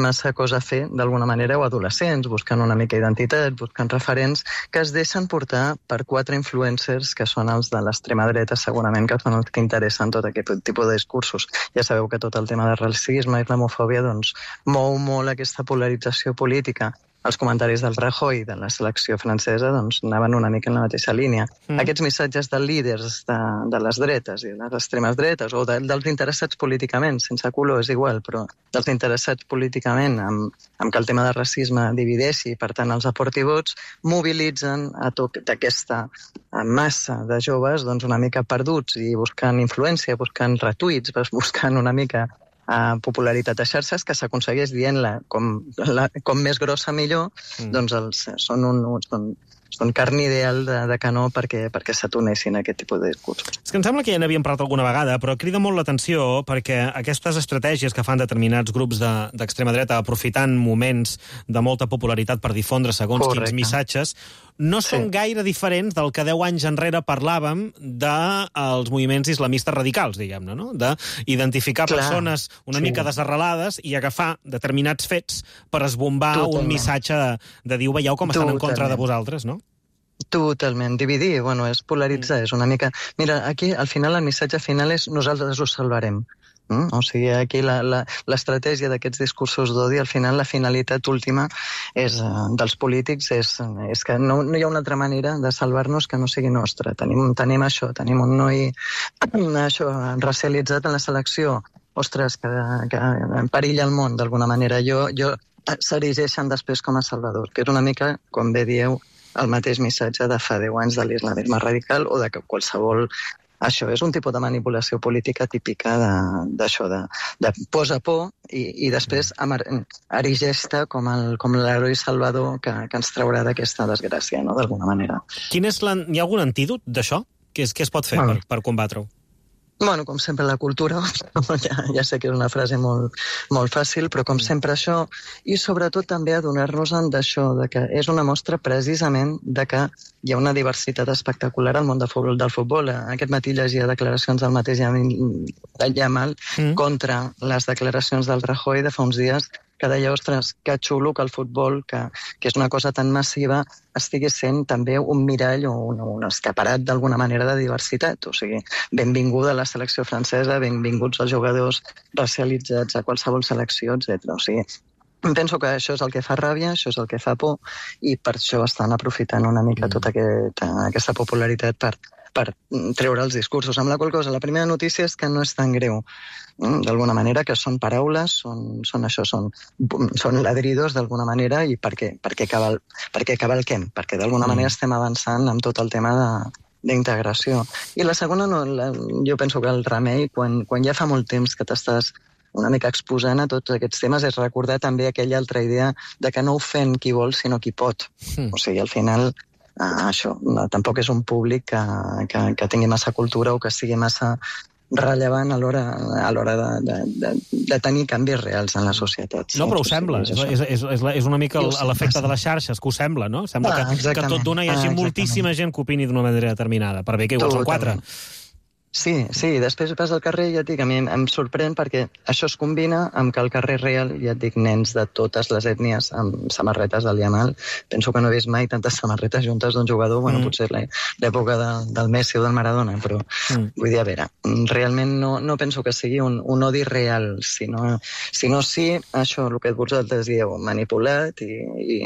massa cosa a fer, d'alguna manera, o adolescents, buscant una mica identitat, buscant referents, que es deixen portar per quatre influencers que són els de l'extrema dreta, segurament, que són els que interessen tot aquest tipus de discursos. Ja sabeu que tot el tema de racisme i islamofòbia doncs, mou molt aquesta polarització política. Els comentaris del Rajoy de la selecció francesa doncs, anaven una mica en la mateixa línia. Mm. Aquests missatges de líders de, de les dretes i de les extremes dretes, o de, dels interessats políticament, sense color, és igual, però dels interessats políticament amb, amb que el tema de racisme divideixi, per tant els aporti vots, mobilitzen a tota aquesta massa de joves doncs, una mica perduts i buscant influència, buscant retuits, buscant una mica a popularitat a xarxes, que s'aconsegueix dient-la com, la, com més grossa millor, mm. doncs els, són, un, són, són carn ideal de, de canó perquè, perquè s'atunessin a aquest tipus de discursos. És que em sembla que ja n'havíem parlat alguna vegada, però crida molt l'atenció perquè aquestes estratègies que fan determinats grups d'extrema de, dreta aprofitant moments de molta popularitat per difondre segons Correcte. Quins missatges, no són sí. gaire diferents del que deu anys enrere parlàvem dels moviments islamistes radicals, diguem-ne, no? D'identificar persones una sí. mica desarrelades i agafar determinats fets per esbombar Totalment. Un missatge de, de dir, veieu com estan Totalment. En contra de vosaltres, no? Totalment. Dividir, bueno, és polaritzar, mm. és una mica... Mira, aquí, al final, el missatge final és nosaltres us salvarem. Mm? O sigui, aquí l'estratègia d'aquests discursos d'odi, al final la finalitat última és, uh, dels polítics és, és que no, no hi ha una altra manera de salvar-nos que no sigui nostra. Tenim, tenim això, tenim un noi això, racialitzat en la selecció, ostres, que, que perilla el món d'alguna manera. Jo, jo s'erigeixen després com a salvadors, que és una mica, com bé dieu, el mateix missatge de fa deu anys de l'islamisme radical o de que qualsevol... Això és un tipus de manipulació política típica d'això, de, de, de posa por i, i després erigeix-te com l'heroi salvador que, que ens traurà d'aquesta desgràcia, no?, d'alguna manera. Quin és la, hi ha algun antídot d'això? Què, què es pot fer bueno. per, per combatre-ho? Bueno, com sempre, la cultura, ja, ja sé que és una frase molt, molt fàcil, però com sempre això, i sobretot també adonar-nos-en d'això, de que és una mostra precisament de que hi ha una diversitat espectacular al món de futbol, del futbol. Aquest matí llegia declaracions del mateix Yamal mm. contra les declaracions del Rajoy de fa uns dies, que deia, ostres, que xulo que el futbol, que, que és una cosa tan massiva, estigui sent també un mirall o un, un escaparat d'alguna manera de diversitat. O sigui, benvinguda a la selecció francesa, benvinguts els jugadors racialitzats a qualsevol selecció, etcètera. O sigui, penso que això és el que fa ràbia, això és el que fa por, i per això estan aprofitant una mica tota aquest, aquesta popularitat per, per treure els discursos. Amb la qual cosa, la primera notícia és que no és tan greu, d'alguna manera, que són paraules, són, són això, són, són ladridos d'alguna manera, i perquè, perquè, cabal, perquè cavalquem, perquè d'alguna manera estem avançant amb tot el tema de d'integració. I la segona, no, la, jo penso que el remei, quan, quan ja fa molt temps que t'estàs una mica exposant a tots aquests temes, és recordar també aquella altra idea de que no ofèn qui vol, sinó qui pot. Mm. O sigui, al final, eh, això, no, tampoc és un públic que, que, que tingui massa cultura o que sigui massa rellevant a l'hora a l'hora de, de, de, de tenir canvis reals en la societat. Sí, no, però ho sembla. És, és, és, és, és una mica l'efecte de les xarxes, que ho sembla, no? Sembla ah, que, que tot d'una hi hagi ah, moltíssima gent que opini d'una manera determinada, per bé que igual són quatre. Sí, sí, després vas al carrer i ja et dic, a mi em sorprèn perquè això es combina amb que al carrer real, ja et dic, nens de totes les ètnies amb samarretes del Yamal. Penso que no he vist mai tantes samarretes juntes d'un jugador, bueno, mm. potser l'època de, del Messi o del Maradona, però mm. vull dir, a veure, realment no, no penso que sigui un, un odi real, sinó, sinó sí, això, el que vosaltres dieu, manipulat i... i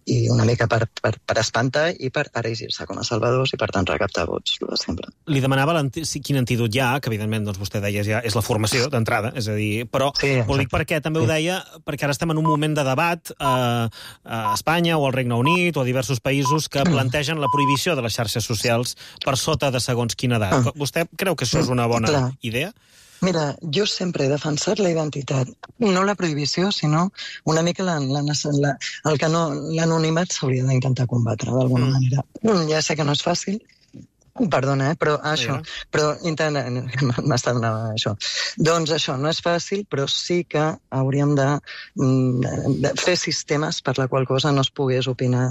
i una mica per, per, per espantar i per erigir-se com a salvadors i, per tant, recaptar vots, el de sempre. Li demanava quin antídot hi ha, que evidentment doncs, vostè deia ja és la formació d'entrada, és a dir, però sí, ho dic perquè també ho deia, perquè ara estem en un moment de debat eh, a Espanya o al Regne Unit o a diversos països que plantegen la prohibició de les xarxes socials per sota de segons quina edat. Vostè creu que això és una bona Clar. idea? Mira, jo sempre he defensat la identitat, no la prohibició, sinó una mica la, la, la, el que no, l'anonimat s'hauria d'intentar combatre d'alguna mm. manera. Ja sé que no és fàcil, perdona, eh, però això, sí, però intenta, m'està donant això. Doncs això, no és fàcil, però sí que hauríem de, de fer sistemes per la qual cosa no es pogués opinar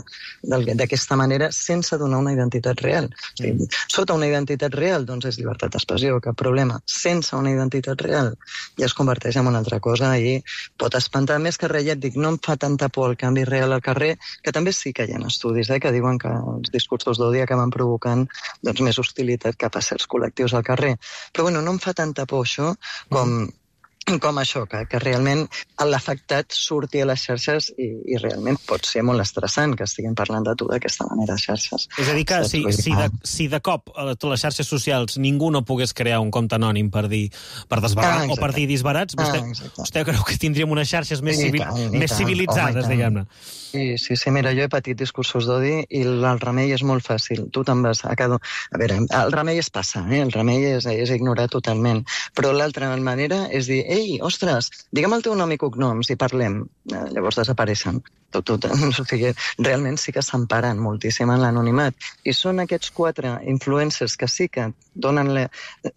d'aquesta manera sense donar una identitat real. O sigui, sota una identitat real, doncs és llibertat d'expressió, cap problema. Sense una identitat real ja es converteix en una altra cosa i pot espantar més que res. Ja et dic, no em fa tanta por el canvi real al carrer, que també sí que hi ha estudis eh, que diuen que els discursos d'odi acaben provocant doncs, més hostilitat cap a certs col·lectius al carrer. Però bueno, no em fa tanta por això com, com això, que, que realment l'afectat surti a les xarxes i, i realment pot ser molt estressant que estiguin parlant de tu d'aquesta manera a xarxes. És a dir, que si, si, de, si de cop a les xarxes socials ningú no pogués crear un compte anònim per dir per desbarrar ah, o per dir disbarats, vostè, ah, vostè creu que tindríem unes xarxes més, civil, tant, més tant, civilitzades, home, diguem-ne? Sí, sí, sí, mira, jo he patit discursos d'odi i el remei és molt fàcil. Tu te'n vas a cada... A veure, el remei és passar, eh? El remei és, és ignorar totalment. Però l'altra manera és dir, ei, ostres, digue'm el teu nom i cognoms i parlem. Eh, llavors desapareixen. Tot, tot, o sigui, realment sí que s'emparen moltíssim en l'anonimat. I són aquests quatre influencers que sí que donen la,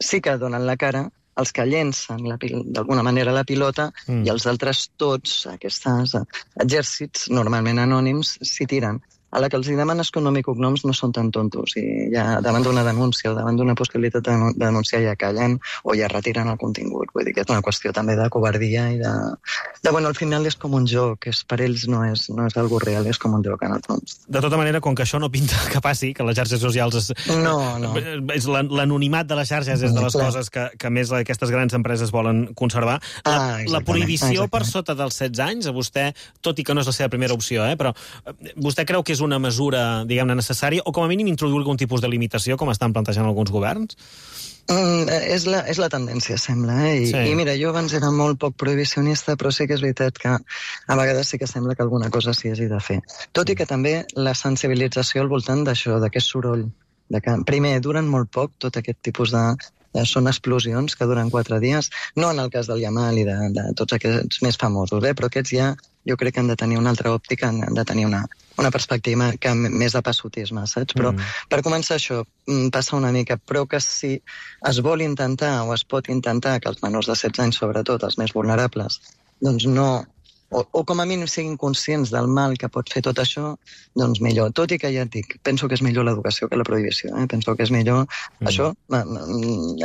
sí que donen la cara, els que llencen d'alguna manera la pilota mm. i els altres tots, aquests exèrcits normalment anònims, s'hi tiren. A la que els demanes que nom i cognoms no són tan tontos i ja davant d'una denúncia o davant d'una possibilitat de denunciar ja callen o ja retiren el contingut. Vull dir que és una qüestió també de covardia i de... de bueno, al final és com un joc, és, per ells no és, no és algo real, és com un joc en el fons. De tota manera, com que això no pinta que passi, que les xarxes socials... És, no, no. És l'anonimat de les xarxes és de les Clar. coses que, que més aquestes grans empreses volen conservar. La, ah, la prohibició exactament. per sota dels setze anys, a vostè, tot i que no és la seva primera opció, eh, però vostè creu que és una mesura, diguem-ne, necessària, o com a mínim introduir algun tipus de limitació, com estan plantejant alguns governs? Mm, és, la, és la tendència, sembla, eh? I, sí. I mira, jo abans era molt poc prohibicionista, però sí que és veritat que a vegades sí que sembla que alguna cosa s'hi hagi de fer. Tot i que també la sensibilització al voltant d'això, d'aquest soroll, de que, primer, duren molt poc tot aquest tipus de... són explosions que duren quatre dies, no en el cas del Yamal i de, de tots aquests més famosos, eh? Però aquests ja jo crec que han de tenir una altra òptica, han de tenir una, una perspectiva que més de passotisme, saps? Però mm. per començar això, passa una mica, però que si es vol intentar o es pot intentar que els menors de setze anys, sobretot, els més vulnerables, doncs no... O, o com a mínim siguin conscients del mal que pot fer tot això, doncs millor. Tot i que ja et dic, penso que és millor l'educació que la prohibició. Eh? Penso que és millor mm. això,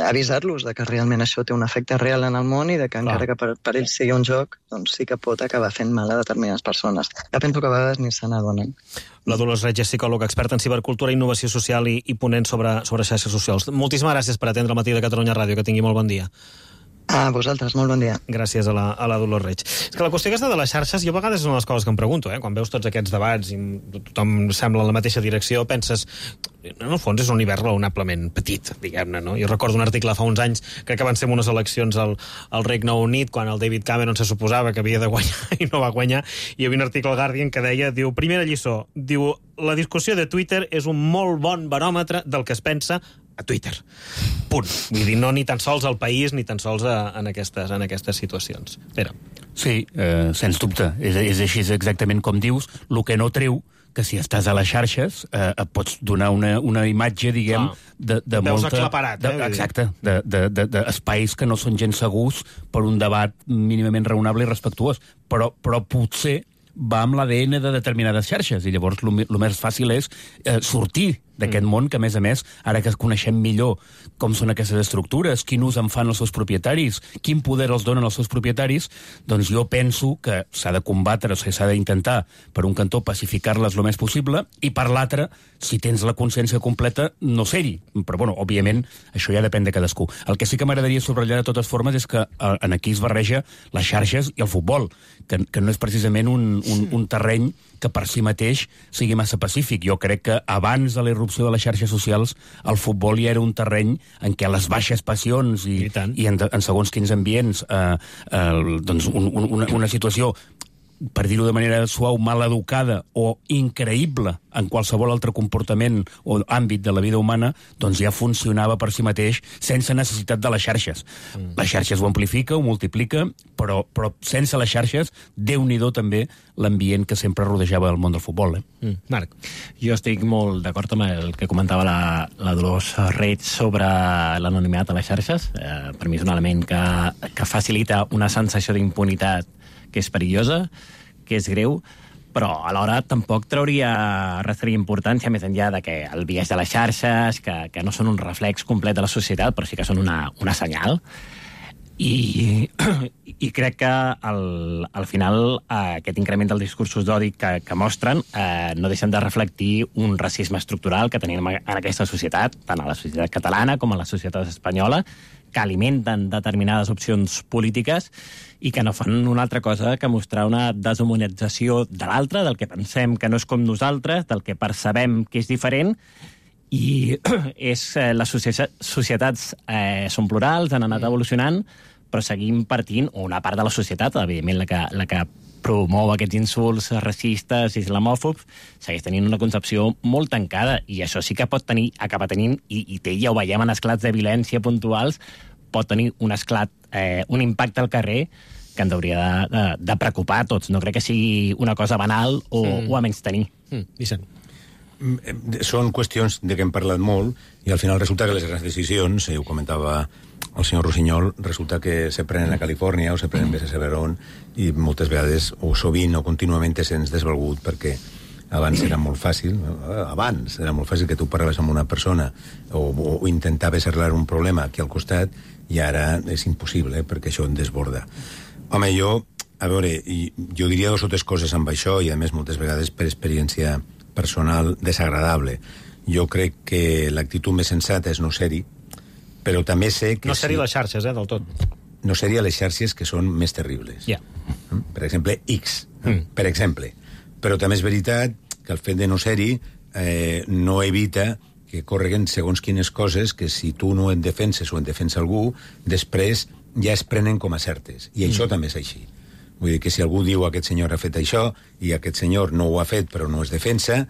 avisar-los de que realment això té un efecte real en el món i de que encara Clar. que per, per ells sigui un joc, doncs sí que pot acabar fent mal a determinades persones. Ja penso que a vegades ni se n'adonen. La Dolors Reig és psicòloga experta en cibercultura, innovació social i, i ponent sobre, sobre xarxes socials. Moltíssimes gràcies per atendre el matí de Catalunya Ràdio. Que tingui molt bon dia. A vosaltres, molt bon dia. Gràcies a la, a la Dolors Reig. És que la qüestió aquesta de les xarxes, jo a vegades és una de les coses que em pregunto, eh? Quan veus tots aquests debats i tothom sembla en la mateixa direcció, penses, en el fons és un univers raonablement petit, diguem-ne, no? Jo recordo un article fa uns anys, crec que van ser unes eleccions al, al Regne Unit, quan el David Cameron se suposava que havia de guanyar i no va guanyar, i hi havia un article al Guardian que deia, diu, primera lliçó, diu, la discussió de Twitter és un molt bon baròmetre del que es pensa a Twitter. Punt. Vull dir, no ni tan sols al país, ni tan sols a, en, aquestes, en aquestes situacions. Pere. Sí, eh, sens dubte. És, és així exactament com dius. El que no treu que si estàs a les xarxes eh, et pots donar una, una imatge, diguem, ah, de, de veus molta... aclaparat, de, eh? Exacte, d'espais que no són gens segurs per un debat mínimament raonable i respectuós. Però, però potser va amb l'A D N de determinades xarxes, i llavors el més fàcil és eh, sortir d'aquest mm. món que, a més a més, ara que coneixem millor com són aquestes estructures, quin ús en fan els seus propietaris, quin poder els donen els seus propietaris, doncs jo penso que s'ha de combatre, o sigui, s'ha d'intentar, per un cantó, pacificar-les el més possible, i per l'altre, si tens la consciència completa, no ser-hi. Però, bueno, òbviament, això ja depèn de cadascú. El que sí que m'agradaria subratllar de totes formes és que en aquí es barreja les xarxes i el futbol, que, que no és precisament un, un, un terreny que per si mateix sigui massa pacífic. Jo crec que abans de la irrupció de les xarxes socials el futbol ja era un terreny en què les baixes passions i, I, i en, en segons quins ambients eh, eh, doncs un, un, una, una situació, per dir-ho de manera suau, mal educada o increïble en qualsevol altre comportament o àmbit de la vida humana, doncs ja funcionava per si mateix sense necessitat de les xarxes. Mm. Les xarxes ho amplifica, ho multiplica, però, però sense les xarxes, Déu-n'hi-do també l'ambient que sempre rodejava el món del futbol. Eh? Mm. Marc. Jo estic molt d'acord amb el que comentava la, la Dolors Reig sobre l'anonimat a les xarxes. Eh, per mi és un element que, que facilita una sensació d'impunitat que és perillosa, que és greu, però alhora tampoc trauria restaria importància més enllà de que el biaix de les xarxes, que, que no són un reflex complet de la societat, però sí que són una, una senyal. I, i crec que al, al final eh, aquest increment dels discursos d'odi que, que mostren eh, no deixen de reflectir un racisme estructural que tenim en aquesta societat, tant a la societat catalana com a la societat espanyola, que alimenten determinades opcions polítiques i que no fan una altra cosa que mostrar una deshumanització de l'altre, del que pensem que no és com nosaltres, del que percebem que és diferent, i és, eh, les societats eh, són plurals, han anat evolucionant, però seguim partint, o una part de la societat, evidentment la que, la que promou aquests insults racistes, islamòfobs, segueix tenint una concepció molt tancada, i això sí que pot tenir, acaba tenint, i, i té, ja ho veiem en esclats de violència puntuals, pot tenir un esclat, eh, un impacte al carrer que ens hauria de, de, de preocupar a tots. No crec que sigui una cosa banal o, mm. o a menys tenir. Mm. Vicent. Són qüestions de què hem parlat molt i al final resulta que les grans decisions, eh, ho comentava el senyor Rossinyol, resulta que se prenen a Califòrnia o se prenen a Severon i moltes vegades, o sovint o contínuament, se'ns desvalgut perquè abans era molt fàcil, abans era molt fàcil que tu parlaves amb una persona o, o intentaves arreglar un problema aquí al costat i ara és impossible, eh, perquè això en desborda. Home, jo, a veure, jo diria dos o tres coses amb això i a més moltes vegades per experiència personal desagradable. Jo crec que l'actitud més sensata és no ser-hi, però també sé que... No ser-hi les xarxes, eh, del tot. No ser-hi a les xarxes que són més terribles. Yeah. Per exemple, X, mm. per exemple. Però també és veritat que el fet de no ser-hi eh, no evita que correguen segons quines coses que si tu no et defenses o en defensa algú, després ja es prenen com a certes. I això mm. també és així. Vull dir que si algú diu aquest senyor ha fet això i aquest senyor no ho ha fet però no es defensa,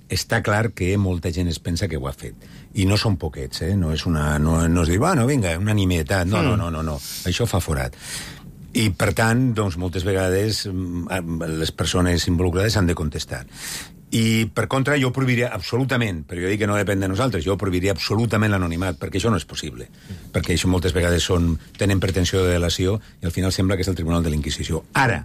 està clar que molta gent es pensa que ho ha fet. I no són poquets, eh? No és una... No, no es diu, bueno, vinga, una nimietat. No, no, no, no, no. Això fa forat. I, per tant, doncs, moltes vegades les persones involucrades han de contestar. I, per contra, jo prohibiria absolutament, però jo dic que no depèn de nosaltres, jo prohibiria absolutament l'anonimat, perquè això no és possible. Mm. Perquè això moltes vegades són, tenen pretensió de delació i al final sembla que és el Tribunal de la Inquisició. Ara,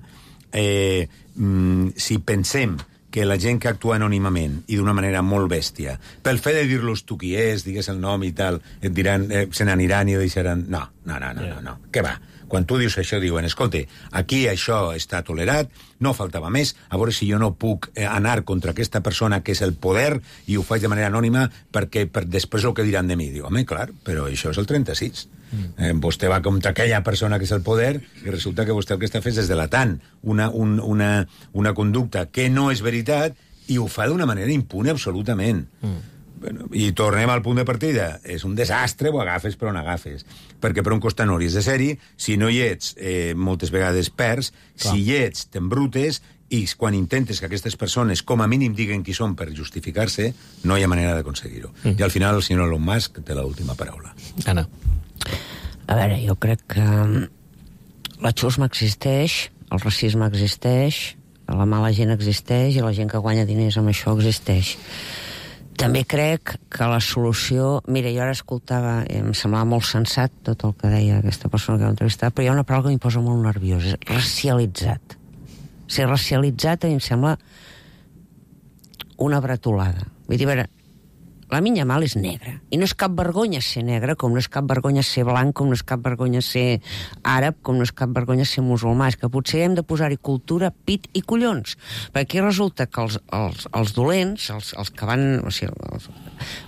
eh, mm, si pensem que la gent que actua anònimament i d'una manera molt bèstia, pel fet de dir-los tu qui és, digues el nom i tal, et diran, eh, se n'aniran i deixaran... No, no, no, no, yeah. no, no. Què va? Quan tu dius això, diuen, escolta, aquí això està tolerat, no faltava més, a veure si jo no puc anar contra aquesta persona que és el poder i ho faig de manera anònima perquè per després el que diran de mi. Diu, home, clar, però això és el trenta-sis. Eh, vostè va contra aquella persona que és el poder i resulta que vostè el que està fent és delatant una, un, una, una conducta que no és veritat i ho fa d'una manera impune absolutament. Mm. Bueno, i tornem al punt de partida. És un desastre, ho agafes per on agafes. Perquè per un costat no hauries de ser-hi, si no hi ets, eh, moltes vegades perds, clar. Si hi ets, t'embrutes, i quan intentes que aquestes persones com a mínim diguen qui són per justificar-se, no hi ha manera d'aconseguir-ho. Mm. I al final el senyor Elon Musk té l'última paraula. Anna. A veure, jo crec que la xusma existeix, el racisme existeix, la mala gent existeix i la gent que guanya diners amb això existeix. També crec que la solució... Mira, jo ara escoltava, em semblava molt sensat tot el que deia aquesta persona que heu entrevistat, però hi ha una paraula que em posa molt nerviós, és racialitzat. Ser racialitzat a mi em sembla una bretolada. Vull dir, a veure, Lamine Yamal és negre, i no és cap vergonya ser negre, com no és cap vergonya ser blanc, com no és cap vergonya ser àrab, com no és cap vergonya ser musulmà. És que potser hem de posar-hi cultura, pit i collons. Perquè aquí resulta que els, els, els dolents, els, els que van... O sigui, els,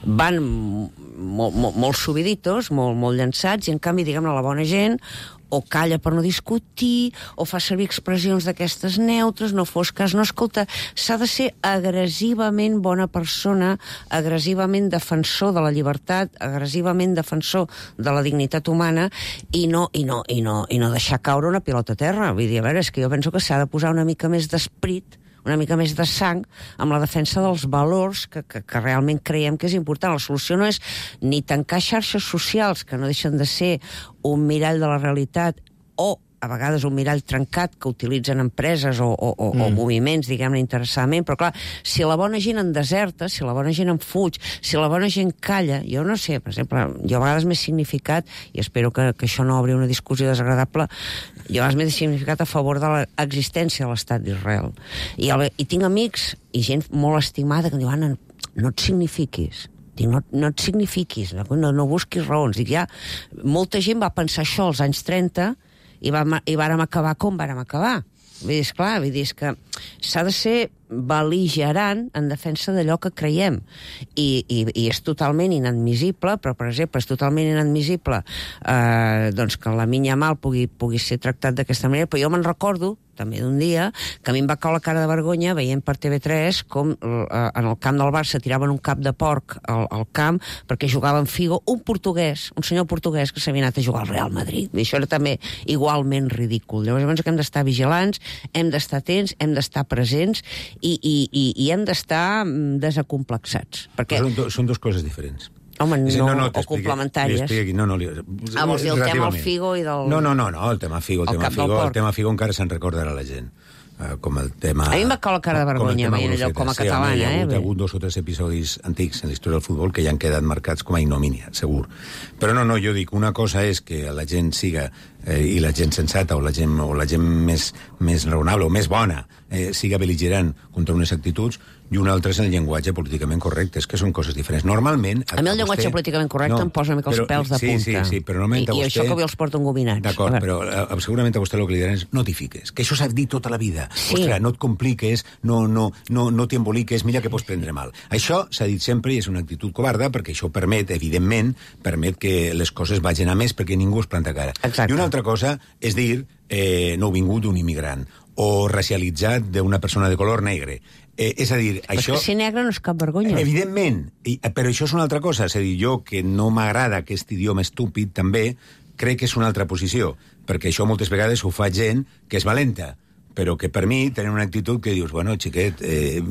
van molt, molt, molt subiditos, molt, molt llançats, i en canvi, diguem-ne, la bona gent o calla per no discutir, o fa servir expressions d'aquestes neutres, no fos cas, no, escolta, s'ha de ser agressivament bona persona, agressivament defensor de la llibertat, agressivament defensor de la dignitat humana, i no, i no, i no, i no deixar caure una pilota a terra. Vull dir, a veure, és que jo penso que s'ha de posar una mica més d'esperit, una mica més de sang amb la defensa dels valors que, que, que realment creiem que és important. La solució no és ni tancar xarxes socials, que no deixen de ser un mirall de la realitat, o a vegades un mirall trencat que utilitzen empreses o, o, o, mm. o moviments, diguem-ne, interessadament, però clar, si la bona gent en deserta, si la bona gent en fuig, si la bona gent calla, jo no sé, per exemple, jo a vegades m'he significat, i espero que, que això no obri una discussió desagradable, jo a vegades m'he significat a favor de l'existència de l'estat d'Israel. I, el, I tinc amics i gent molt estimada que em diu, Anna, no et signifiquis. Dic, no, no et signifiquis, no, no busquis raons. Dic, ja, molta gent va pensar això als anys trenta i, va, i vàrem acabar com vàrem acabar. Vull dir, esclar, vull dir, és que s'ha de ser bel·ligerant en defensa d'allò que creiem. I, i, i és totalment inadmissible, però, per exemple, és totalment inadmissible eh, doncs que la Lamine Yamal pugui, pugui ser tractat d'aquesta manera, però jo me'n recordo també d'un dia, que a mi em va caure la cara de vergonya veient per T V tres com eh, en el camp del Barça tiraven un cap de porc al, al camp perquè jugava en Figo un portuguès, un senyor portuguès que s'havia anat a jugar al Real Madrid. I això era també igualment ridícul. Llavors, llavors hem d'estar vigilants, hem d'estar atents, hem d'estar presents i, i, i, i hem d'estar desacomplexats. Perquè... Són, do, són dues coses diferents. Home, no, no, no o complementàries. No, no, li... Ah, vols dir el tema del Figo i del... No, no, no, no el tema Figo, el, el tema Figo, el tema Figo encara se'n recordarà la gent. Uh, com el tema... A mi em va caure la cara de vergonya veient allò com a catalana, sí, eh? Hi ha hagut, eh? hagut dos o tres episodis antics en la història del futbol que ja han quedat marcats com a ignomínia, segur. Però no, no, jo dic, una cosa és que la gent siga, eh, i la gent sensata, o la gent, o la gent més, més raonable, o més bona, eh, siga bel·ligerant contra unes actituds, i una altra és el llenguatge políticament correcte, és que són coses diferents. Normalment... A mi el llenguatge vostè... políticament correcte no, em posa una mica els però, pèls de sí, punta. Sí, sí, però normalment I, a vostè... I això que avui els porto engominats. D'acord, però uh, segurament a vostè el que li diran és no t'hi fiques, que això s'ha dit tota la vida. Sí. Ostres, no et compliques, no, no, no, no t'hi emboliques, mira que pots prendre mal. Això s'ha dit sempre i és una actitud covarda perquè això permet, evidentment, permet que les coses vagin a més perquè ningú es planta cara. Exacte. I una altra cosa és dir eh, nouvingut d'un immigrant o racialitzat d'una persona de color negre. Eh, és a dir, però això... És que ser negre no és cap vergonya. Evidentment, i, però això és una altra cosa. És a dir, jo, que no m'agrada aquest idioma estúpid, també, crec que és una altra posició, perquè això moltes vegades ho fa gent que és valenta, però que per mi tenen una actitud que dius, bueno, xiquet, eh,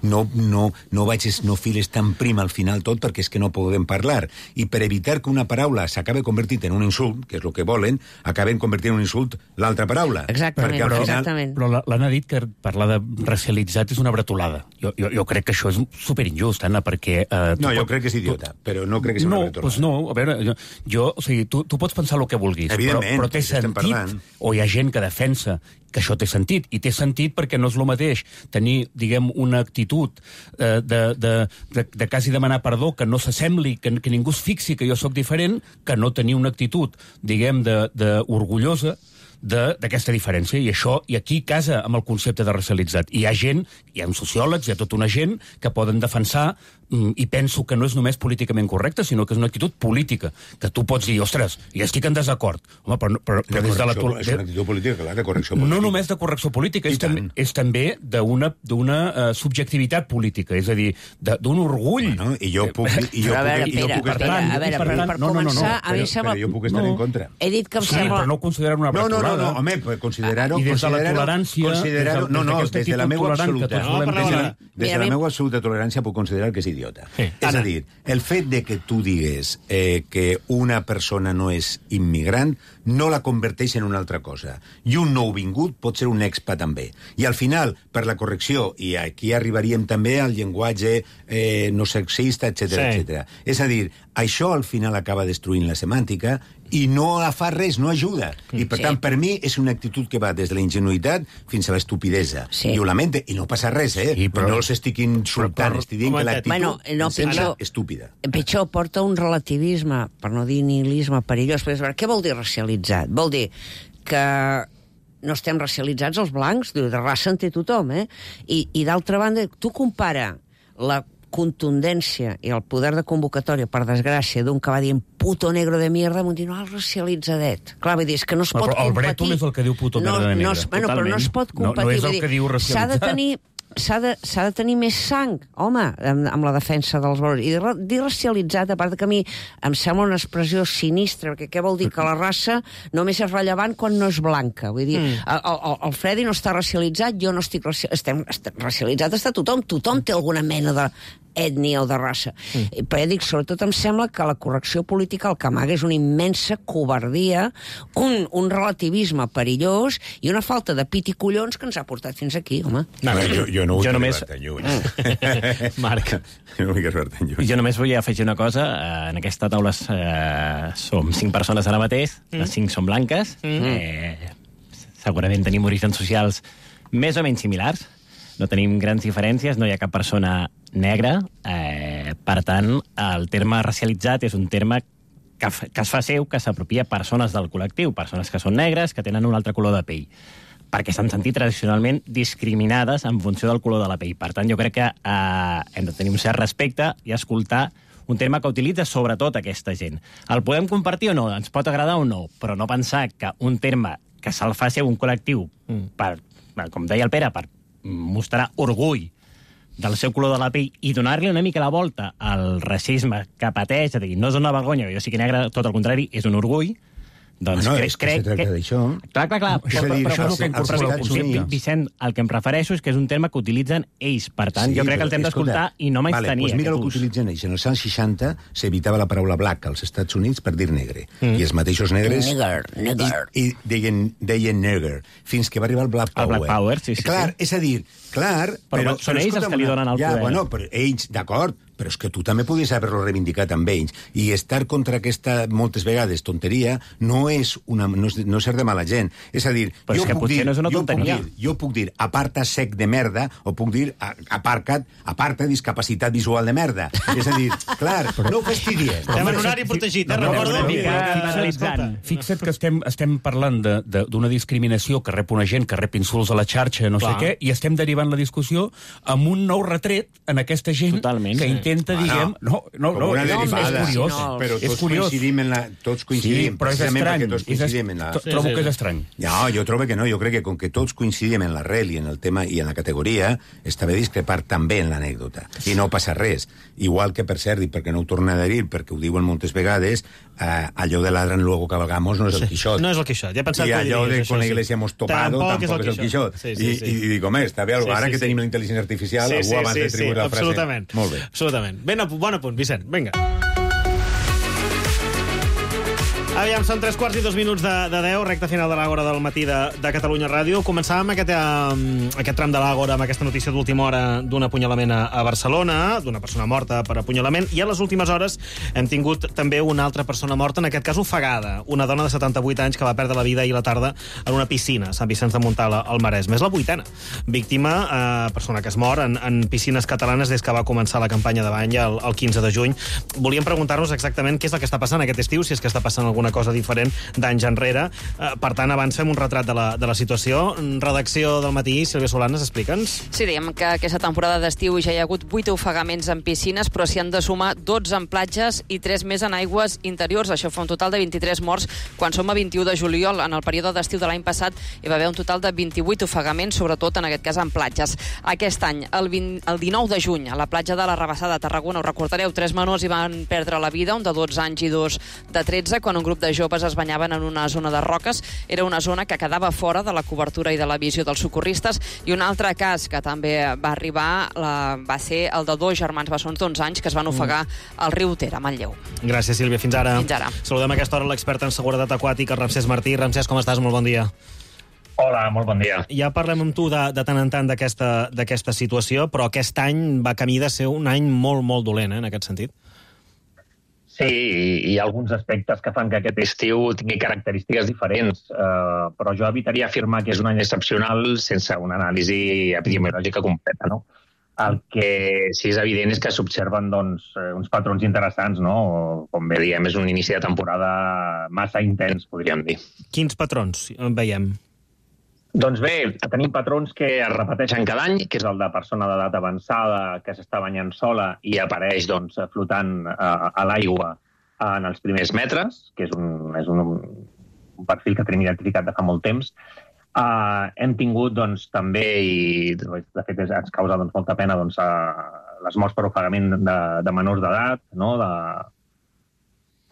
no, no, no vagis, no files tan prim al final tot perquè és que no podem parlar. I per evitar que una paraula s'acabe convertint en un insult, que és el que volen, acaben convertint en un insult l'altra paraula. Exactament, perquè, però, final... exactament. Però l'Anna ha dit que parlar de racialitzat és una bretolada. Jo, jo, jo crec que això és superinjust, Anna, perquè... Eh, no, jo pot... crec que és idiota, tu... però no crec que sigui no, una bretolada. Pues no, a veure, jo, jo o sigui, tu, tu pots pensar el que vulguis, però, però té sentit, o hi ha gent que defensa que això té sentit, i té sentit perquè no és el mateix tenir, diguem, una actitud eh, de, de, de, de quasi demanar perdó, que no s'assembli, que, que ningú es fixi que jo sóc diferent, que no tenir una actitud, diguem, de, de orgullosa, d'aquesta diferència, i això, i aquí casa amb el concepte de racialitzat. I hi ha gent, hi ha uns sociòlegs, hi ha tota una gent que poden defensar, i penso que no és només políticament correcte, sinó que és una actitud política, que tu pots dir, ostres, ja estic en desacord. Home, però, però, però des de la... És una actitud política, clar, de correcció política. No només de correcció política, és, tam és també d'una uh, subjectivitat política, és a dir, d'un orgull. Bueno, i jo puc... I jo a veure, puc, Pere, puc Pere, a veure, per, per no, no, no, començar, no, a mi però, sembla... però jo puc estar no. en contra. He dit que em sí, sembla... però no ho considero una no, no, bretolada. no, no, home, pues considerar-ho... I des de la tolerància... Considerar no, no, des de la meva absoluta... No, des de la, des de la meva absoluta tolerància puc considerar que és idiota. Sí. És a dir, el fet de que tu digues eh, que una persona no és immigrant no la converteix en una altra cosa. I un nouvingut pot ser un expat també. I al final, per la correcció, i aquí arribaríem també al llenguatge eh, no sexista, etcètera, sí. etcètera. És a dir, això al final acaba destruint la semàntica i no fa res, no ajuda. I, per sí. tant, per mi és una actitud que va des de la ingenuïtat fins a l'estupidesa. Sí. I ho lamento, i no passa res, eh? Sí, però... No els estic insultant, estic dient que l'actitud bueno, no, em sembla pitjor, estúpida. Pitjor, porta un relativisme, per no dir nihilisme perillós. Però, què vol dir racialitzat? Vol dir que no estem racialitzats els blancs, de raça en té tothom, eh? I, i d'altra banda, tu compara la contundència i el poder de convocatòria, per desgràcia, d'un que va dient puto negro de mierda, m'ho dir, no, el racialitzat. Clar, vull dir, és que no es pot però competir... el Breton és el que diu puto no, negro de no, negra. Bueno, però no es pot competir. No, no és el que diu racialitzat. S'ha de tenir... S'ha de, s'ha de tenir més sang, home, amb, amb la defensa dels valors. I dir racialitzat, a part que a mi em sembla una expressió sinistra, perquè què vol dir? Que la raça només és rellevant quan no és blanca. Vull dir, mm. el, el, el Freddy no està racialitzat, jo no estic racialitzat. Estem, estem, racialitzat està tothom. Tothom té alguna mena de ètnia o de raça. Mm. Però ja dic, sobretot em sembla que la correcció política el que amaga és una immensa covardia, un, un relativisme perillós i una falta de pit i collons que ens ha portat fins aquí, home. No, jo, jo no vull jo només... arribar tan lluny. Marc. Jo no vull arribar tan lluny. Jo només vull afegir una cosa. En aquesta taula eh, som cinc persones ara mateix, mm. les cinc són blanques, mm. eh, segurament tenim orígens socials més o menys similars, no tenim grans diferències, no hi ha cap persona negra, eh, per tant, el terme racialitzat és un terme que, que es fa seu, que s'apropia persones del col·lectiu, persones que són negres, que tenen un altre color de pell, perquè s'han sentit tradicionalment discriminades en funció del color de la pell. Per tant, jo crec que eh, hem de tenir un cert respecte i escoltar un terme que utilitza sobretot aquesta gent. El podem compartir o no, ens pot agradar o no, però no pensar que un terme que se'l fa ser un col·lectiu, per, com deia el Pere, per mostrar orgull del seu color de la pell i donar-li una mica la volta al racisme que pateix, és a dir, no és una vergonya, jo sí que negre, tot el contrari, és un orgull, doncs bueno, crec, és que crec se tracta que... d'això. Clar, clar, clar. És a dir, però, això però, és el que però, incorpora el concepte. Vicent, el que em refereixo és que és un terme que utilitzen ells. Per tant, sí, jo crec que el hem d'escoltar i no menys vale, tenir pues mira el que ús. utilitzen ells. En els anys seixanta s'evitava la paraula black als Estats Units per dir negre. Mm. I els mateixos negres... Nigger, nigger. I, i deien, deien negre. Fins que va arribar el Black Power. El Black Power, sí, sí. Clar, sí. és a dir, clar... Però, però són ells els que li donen el ja, poder. Bueno, però ells, d'acord, però és que tu també podies haver-lo reivindicat amb ells. I estar contra aquesta, moltes vegades, tonteria, no és, una, no és, no és ser de mala gent. És a dir, però jo és que puc potser dir, no és una jo tonteria. Puc dir, jo puc dir, aparta sec de merda, o puc dir, aparca't, aparta discapacitat visual de merda. És a dir, clar, però no ho fastidiem. Estem en horari protegit, eh? Recordo. Fixa't que estem, estem parlant d'una discriminació que rep una gent, que rep insults a la xarxa, no sé què, i estem derivant la discussió amb un nou retret en aquesta gent Totalment, que sí. intenta, diguem... No, no, no, una no, derivada, és curiós. No, però tots és curiós. coincidim en la... Tots coincidim, sí, però és estrany. Tots coincidim en la... Trobo que és estrany. No, jo trobo que no. Jo crec que com que tots coincidim en l'arrel i en el tema i en la categoria, està bé discrepar també en l'anècdota. I no passa res. Igual que, per cert, i perquè no ho tornen a dir, perquè ho diuen moltes vegades, eh, allò de ladran luego cabalgamos no és el Quixot. No és el Quixot. Ja he pensat I que allò de això, con la sí. iglesia hemos topado tampoc, tampoc és el Quixot. Sí, sí, sí. I, i dic, home, està bé, sí, ara sí, que sí. tenim la intel·ligència artificial, sí, algú sí, abans sí, de tributar sí, la frase. absolutament. Molt bé. Absolutament. Ben, bon apunt, Vicent. Vinga. Aviam, són tres quarts i dos minuts de, de deu, recta final de l'Àgora del matí de, de Catalunya Ràdio. Començàvem aquest, um, aquest tram de l'Àgora amb aquesta notícia d'última hora d'un apunyalament a, a Barcelona, d'una persona morta per apunyalament, i a les últimes hores hem tingut també una altra persona morta, en aquest cas ofegada, una dona de setanta-vuit anys que va perdre la vida ahir a la tarda en una piscina a Sant Vicenç de Montalt, al Maresme. És la vuitena víctima, eh, persona que es mor en, en piscines catalanes des que va començar la campanya de bany el, el quinze de juny. Volíem preguntar-nos exactament què és el que està passant aquest estiu, si és que està passant alguna alguna cosa diferent d'anys enrere. Uh, per tant, avancem un retrat de la, de la situació. Redacció del Matí, Sílvia Solanes, explica'ns. Sí, diguem que aquesta temporada d'estiu ja hi ha hagut vuit ofegaments en piscines, però s'hi han de sumar dotze en platges i tres més en aigües interiors. Això fa un total de vint-i-tres morts, quan som a vint-i-u de juliol. En el període d'estiu de l'any passat hi va haver un total de vint-i-vuit ofegaments, sobretot en aquest cas en platges. Aquest any, el, vint, el dinou de juny, a la platja de la Rabassada de Tarragona, us recordareu, tres menors hi van perdre la vida, un de dotze anys i dos de tretze, quan un grup de joves es banyaven en una zona de roques. Era una zona que quedava fora de la cobertura i de la visió dels socorristes. I un altre cas que també va arribar la, va ser el de dos germans bessons d'onze anys que es van ofegar al riu Ter, a Manlleu. Gràcies, Sílvia. Fins ara. Fins ara. Saludem a aquesta hora l'expert en seguretat aquàtica, Ramsès Martí. Ramsès, com estàs? Molt bon dia. Hola, molt bon dia. Ja parlem amb tu de, de tant en tant d'aquesta situació, però aquest any va camí de ser un any molt, molt dolent, eh, en aquest sentit. Sí, hi ha alguns aspectes que fan que aquest estiu tingui característiques diferents, eh, però jo evitaria afirmar que és un any excepcional sense una anàlisi epidemiològica completa, no? El que sí és evident és que s'observen doncs, uns patrons interessants, no? Com bé diem, és un inici de temporada massa intens, podríem dir. Quins patrons veiem? Doncs bé, tenim patrons que es repeteixen cada any, que és el de persona d'edat avançada que s'està banyant sola i apareix doncs, flotant a, a l'aigua en els primers metres, que és, un, és un, un perfil que tenim identificat de fa molt temps. Uh, hem tingut doncs, també, i de fet ens causa doncs, molta pena, doncs, uh, les morts per ofegament de, de menors d'edat, no? de,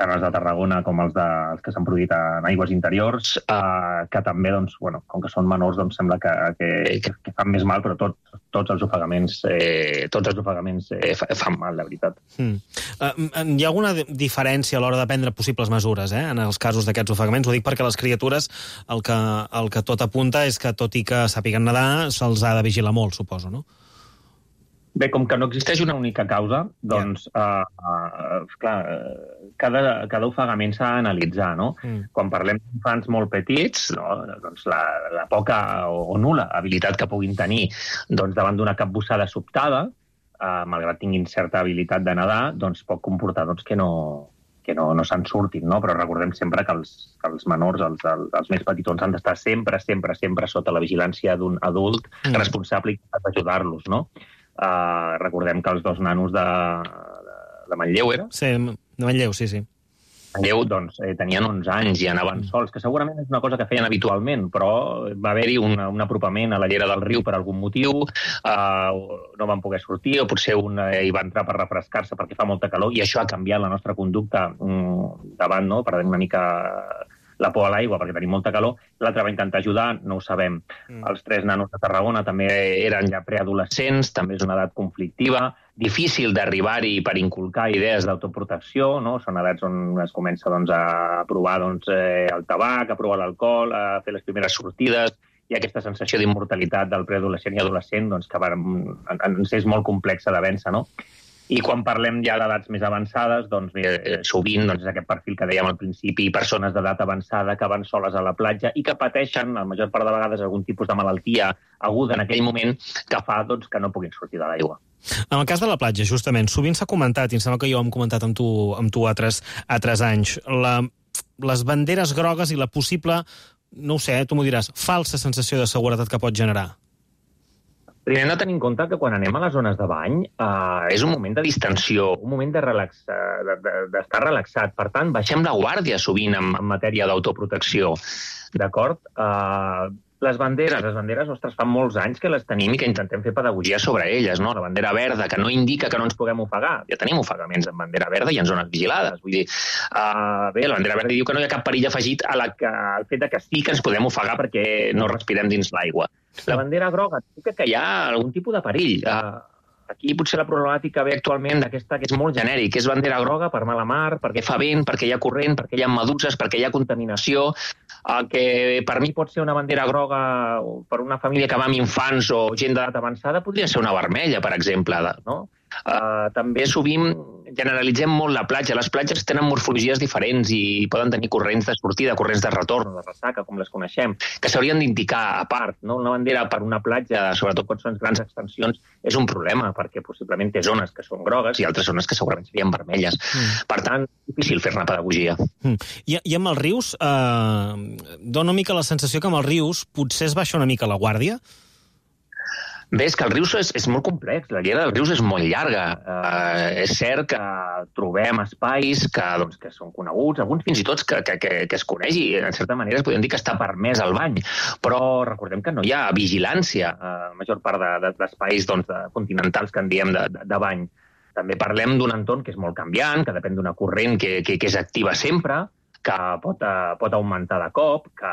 tant els de Tarragona com els, de, els que s'han produït en aigües interiors, eh, que també, doncs, bueno, com que són menors, doncs sembla que, que, que, que fan més mal, però tot, tots els ofegaments, eh, tots els ofegaments eh, fan mal, de veritat. Mm. Uh, hi ha alguna diferència a l'hora de prendre possibles mesures, eh, en els casos d'aquests ofegaments? Ho dic perquè les criatures, el que, el que tot apunta és que, tot i que sàpiguen nedar, se'ls ha de vigilar molt, suposo, no? Bé, com que no existeix una única causa, doncs, yeah. uh, uh, clar, cada, cada ofegament s'ha d'analitzar, no? Mm. Quan parlem d'infants molt petits, no, doncs la, la poca o, o nul·la habilitat que puguin tenir doncs, davant d'una capbussada sobtada, uh, malgrat tinguin certa habilitat de nedar, doncs pot comportar doncs, que no, que no, no se'n surtin, no? Però recordem sempre que els, que els menors, els, els més petitons, han d'estar sempre, sempre, sempre sota la vigilància d'un adult mm. responsable i capaç d'ajudar-los, no? Uh, recordem que els dos nanos de, de, de Manlleu, era? Sí, de Manlleu, sí, sí. Manlleu, doncs, eh, tenien onze anys i anaven sols, que segurament és una cosa que feien habitualment, però va haver-hi un, un apropament a la llera del riu per algun motiu, uh, no van poder sortir, o potser un eh, hi va entrar per refrescar-se perquè fa molta calor, i això ha canviat la nostra conducta mm, davant, no?, perdent una mica la por a l'aigua perquè tenim molta calor. L'altre va intentar ajudar, no ho sabem. Mm. Els tres nanos de Tarragona també eren ja preadolescents, també és una edat conflictiva, difícil d'arribar-hi per inculcar idees d'autoprotecció, no? Són edats on es comença doncs, a provar doncs, eh, el tabac, a provar l'alcohol, a fer les primeres sortides, i aquesta sensació d'immortalitat del preadolescent i adolescent doncs, que va, ens és molt complexa de vèncer, no? I quan parlem ja d'edats més avançades, doncs, eh, sovint doncs, és aquest perfil que dèiem al principi, persones d'edat avançada que van soles a la platja i que pateixen, la major part de vegades, algun tipus de malaltia aguda en aquell moment que fa doncs, que no puguin sortir de l'aigua. En el cas de la platja, justament, sovint s'ha comentat, i em sembla que jo ho hem comentat amb tu, amb tu altres, altres anys, la, les banderes grogues i la possible, no ho sé, tu m'ho diràs, falsa sensació de seguretat que pot generar. Primer hem de tenir en compte que quan anem a les zones de bany eh, és un moment de distensió, un moment de relax, de, de, d'estar relaxat. Per tant, baixem la guàrdia sovint en, en matèria d'autoprotecció. D'acord? Eh, les banderes, les banderes, ostres, fa molts anys que les tenim i que intentem fer pedagogia sobre elles, no? La bandera verda, que no indica que no ens puguem ofegar. Ja tenim ofegaments en bandera verda i en zones vigilades. Vull dir, uh, bé, la bandera verda diu que no hi ha cap perill afegit a la que, al fet de que sí que ens podem ofegar perquè no respirem dins l'aigua. La bandera groga indica que hi ha algun tipus de perill. Uh, aquí potser la problemàtica ve actualment d'aquesta que és molt genèric, que és bandera groga per mala mar, perquè fa vent, perquè hi ha corrent, perquè hi ha meduses, perquè hi ha contaminació. El que per mi pot ser una bandera groga per una família que va amb infants o gent d'edat avançada podria ser una vermella, per exemple, no? Uh, també sovint generalitzem molt la platja. Les platges tenen morfologies diferents i poden tenir corrents de sortida, corrents de retorn, de ressaca, com les coneixem, que s'haurien d'indicar a part. No? Una bandera per una platja, sobretot quan són grans extensions, és un problema, perquè possiblement té zones que són grogues i altres zones que segurament serien vermelles. Mm. Per tant, és difícil fer-ne pedagogia. Mm. I, I amb els rius, eh, dona una mica la sensació que amb els rius potser es baixa una mica la guàrdia? Bé, és que el rius és, és molt complex, la llera dels rius és molt llarga. Uh, és cert que trobem espais que, doncs, que són coneguts, alguns fins i tot que, que, que, que es coneix i, en certa manera, es podem dir que està permès el bany. Però recordem que no hi ha vigilància a la major part de, de, d'espais doncs, de continentals que en diem de, de, de bany. També parlem d'un entorn que és molt canviant, que depèn d'una corrent que, que, que és activa sempre, que pot, pot augmentar de cop, que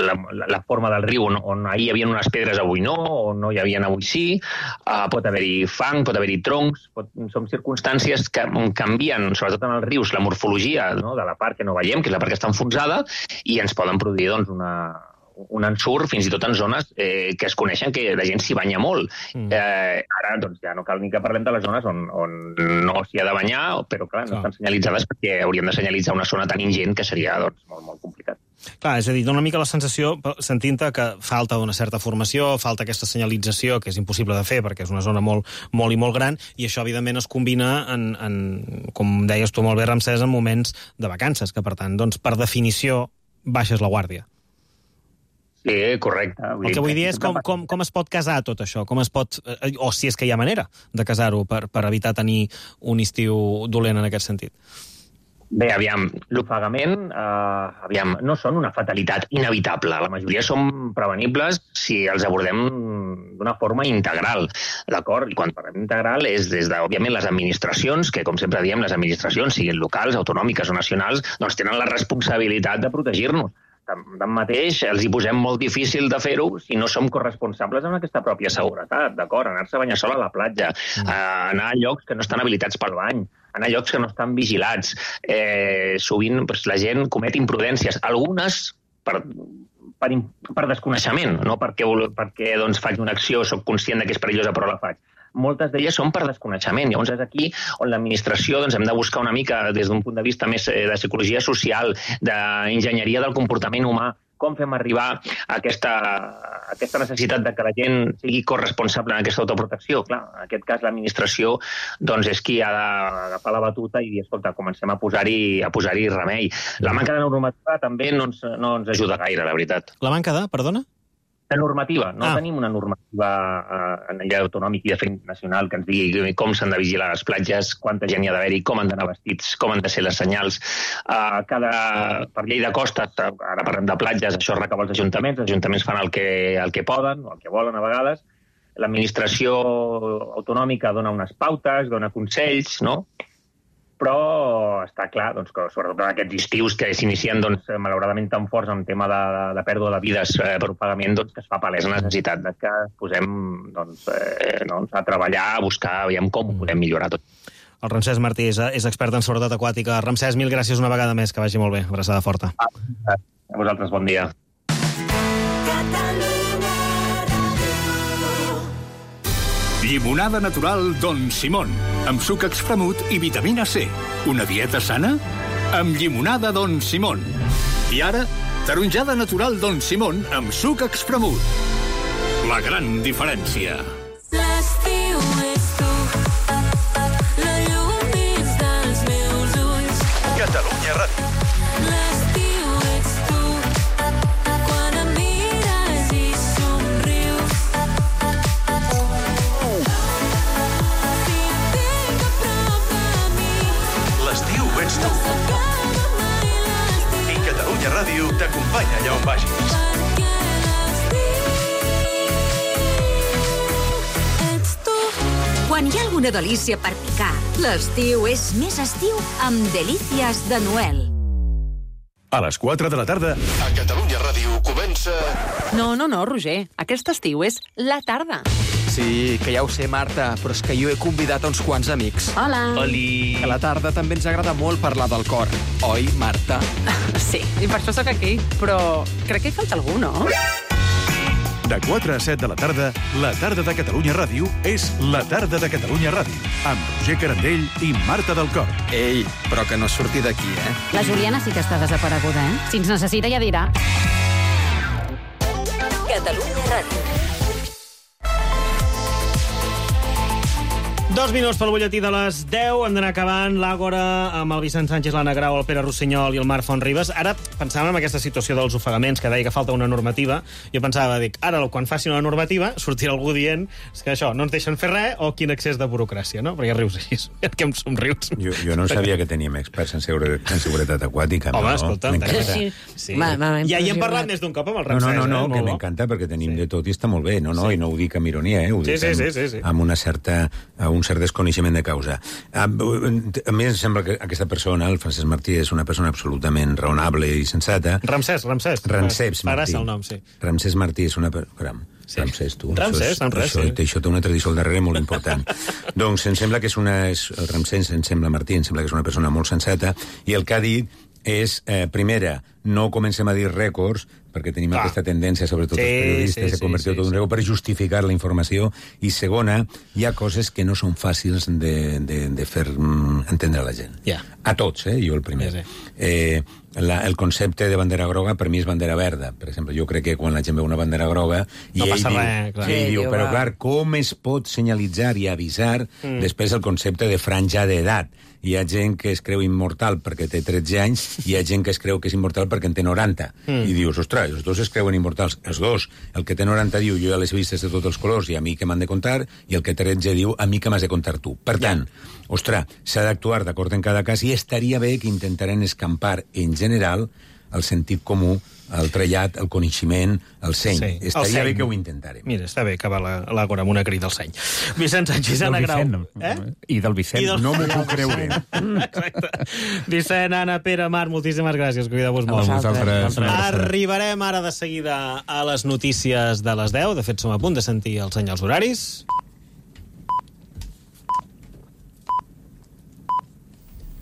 la, la, la forma del riu on, on ahir hi havia unes pedres avui no, o no hi havia avui sí, uh, pot haver-hi fang, pot haver-hi troncs, pot, són circumstàncies que canvien, sobretot en els rius, la morfologia, no?, de la part que no veiem, que és la part que està enfonsada, i ens poden produir doncs, una, un ensurt, fins i tot en zones eh, que es coneixen que la gent s'hi banya molt. Mm. Eh, ara doncs, ja no cal ni que parlem de les zones on, on no s'hi ha de banyar, però clar, no estan senyalitzades perquè hauríem de senyalitzar una zona tan ingent que seria doncs, molt, molt complicat. Clar, és a dir, dona una mica la sensació, sentint-te, que falta una certa formació, falta aquesta senyalització, que és impossible de fer perquè és una zona molt, molt i molt gran, i això, evidentment, es combina, en, en, com deies tu molt bé, Ramsès, en moments de vacances, que, per tant, doncs, per definició, baixes la guàrdia. Sí, correcte. Vull el que vull dir és com, com, com es pot casar tot això, com es pot, o si és que hi ha manera de casar-ho per, per evitar tenir un estiu dolent en aquest sentit. Bé, aviam, l'ofegament, eh, aviam, no són una fatalitat inevitable. La majoria són prevenibles si els abordem d'una forma integral, d'acord? I quan parlem integral és des de, òbviament, les administracions, que, com sempre diem, les administracions, siguin locals, autonòmiques o nacionals, doncs tenen la responsabilitat de protegir-nos. Tanmateix, els hi posem molt difícil de fer-ho si no som corresponsables amb aquesta pròpia seguretat, d'acord? Anar-se a banyar sol a la platja, mm. anar a llocs que no estan habilitats pel bany, anar a llocs que no estan vigilats. Eh, sovint doncs, la gent comet imprudències, algunes per, per, per desconeixement, no perquè, perquè doncs, faig una acció, soc conscient que és perillosa però la faig. Moltes d'elles són per desconeixement. Llavors és aquí on l'administració doncs, hem de buscar una mica des d'un punt de vista més de psicologia social, d'enginyeria del comportament humà, com fem arribar a aquesta, a aquesta necessitat de que la gent sigui corresponsable en aquesta autoprotecció. Clar, en aquest cas l'administració doncs, és qui ha d'agafar la batuta i dir, escolta, comencem a posar-hi a posar-hi remei. La manca de normativa també no ens, no ens ajuda gaire, la veritat. La manca de, perdona? De normativa. No ah. tenim una normativa eh, a nivell autonòmic i de fet nacional que ens digui com s'han de vigilar les platges, quanta gent hi ha d'haver-hi, com han d'anar vestits, com han de ser les senyals. Uh, cada, per llei de costes, ara parlem de platges, això es recau als ajuntaments, els ajuntaments fan el que, el que poden o el que volen a vegades. L'administració autonòmica dona unes pautes, dona consells, no? Però està clar doncs, que sobretot aquests estius que s'inicien doncs, malauradament tan forts en tema de, de pèrdua de vides eh, per ofegament, doncs, que es fa palès la necessitat de que posem doncs, eh, doncs, a treballar, a buscar, veiem com ho podem millorar tot. El Ramsès Martí és, és expert en seguretat aquàtica. Ramsès, mil gràcies una vegada més, que vagi molt bé. Abraçada forta. A vosaltres, bon dia. Llimonada natural Don Simón, amb suc expremut i vitamina C. Una dieta sana? Amb llimonada Don Simón. I ara, taronjada natural Don Simón amb suc expremut. La gran diferència. L'estiu és tu, la llum dins dels meus ulls. Catalunya Ràdio. L'estiu ets tu, quan em mires i somrius. L'estiu ets tu. I Catalunya Ràdio t'acompanya allà on vagis. Quan hi ha alguna delícia per picar, l'estiu és més estiu amb Delícies de Noel. A les quatre de la tarda, a Catalunya Ràdio comença... No, no, no, Roger. Aquest estiu és la tarda. Sí, que ja ho sé, Marta, però és que jo he convidat a uns quants amics. Hola. Oli. A la tarda també ens agrada molt parlar del cor. Oi, Marta? Sí, i per això sóc aquí. Però crec que hi falta algú, no? De quatre a set de la tarda, la tarda de Catalunya Ràdio és la tarda de Catalunya Ràdio, amb Roger Carandell i Marta del Cor. Ei, però que no surti d'aquí, eh? La Juliana sí que està desapareguda, eh? Si ens necessita ja dirà. Catalunya Ràdio. Dos minuts pel butlletí de les deu. Hem d'anar acabant l'Àgora amb el Vicent Sánchez, l'Anna Grau, el Pere Rossinyol i el Marc Fontribes. Ara pensàvem en aquesta situació dels ofegaments, que deia que falta una normativa. Jo pensava, dic, ara quan facin una normativa sortirà algú dient és que això, no ens deixen fer res o quin excés de burocràcia, no? Perquè rius així, que em somrius. Jo, jo no sabia que teníem experts en, segure, en seguretat aquàtica. Home, no? escolta, sí, sí. Ja hi hem parlat més d'un cop amb el Ramsès. No, no, no, eh? que m'encanta perquè tenim sí. de tot i està molt bé. No, no, sí. I no ho dic amb ironia, eh? Ho sí, dic sí, amb, sí, sí, sí. amb una certa, un cert desconeixement de causa. A, a mi em sembla que aquesta persona, el Francesc Martí, és una persona absolutament raonable i sensata. Ramsès, Ramsès. Ramsès Martí. El nom, sí. Ramsès Martí és una... Caram, sí. Ramsès, tu. Ramsès, això, Ramsès, això, sí. Això té una tradició al darrere molt important. Doncs em sembla que és una... És, el Ramsès, em sembla Martí, em sembla que és una persona molt sensata, i el que ha dit és, eh, primera, no comencem a dir rècords, perquè tenim ah. aquesta tendència, sobretot sí, els periodistes, sí, a convertir sí, tot sí, un rècord sí. per justificar la informació. I segona, hi ha coses que no són fàcils de, de, de fer mm, entendre a la gent. Yeah. A tots, eh? Jo el primer. Sí, sí. Eh, la, el concepte de bandera groga per mi és bandera verda. Per exemple, jo crec que quan la gent veu una bandera groga i no ell passa diu, res, clar. Sí, Sí, diu, diu, però va. clar, com es pot senyalitzar i avisar mm. després el concepte de franja d'edat? Hi ha gent que es creu immortal perquè té tretze anys i hi ha gent que es creu que és immortal perquè en té noranta. Mm. I dius, ostres, els dos es creuen immortals. Els dos. El que té noranta diu, jo ja les he vistes de tots els colors i a mi que m'han de contar, i el que té tretze diu, a mi que m'has de contar tu. Per tant, yeah. ostres, s'ha d'actuar d'acord en cada cas i estaria bé que intentaren escampar en general el sentit comú, el trellat, el coneixement, el seny. Sí, estaria el bé que ho intentarem. Mira, està bé acabar l'Àgora amb una crida al seny. Vicent Sánchez, Anna Grau. Eh? I del Vicent. I del... No m'ho puc creure. Exacte. Vicent, Anna, Pere, Marc, moltíssimes gràcies. Cuideu-vos molt. A vosaltres. Arribarem ara de seguida a les notícies de les deu. De fet, som a punt de sentir els senyals horaris.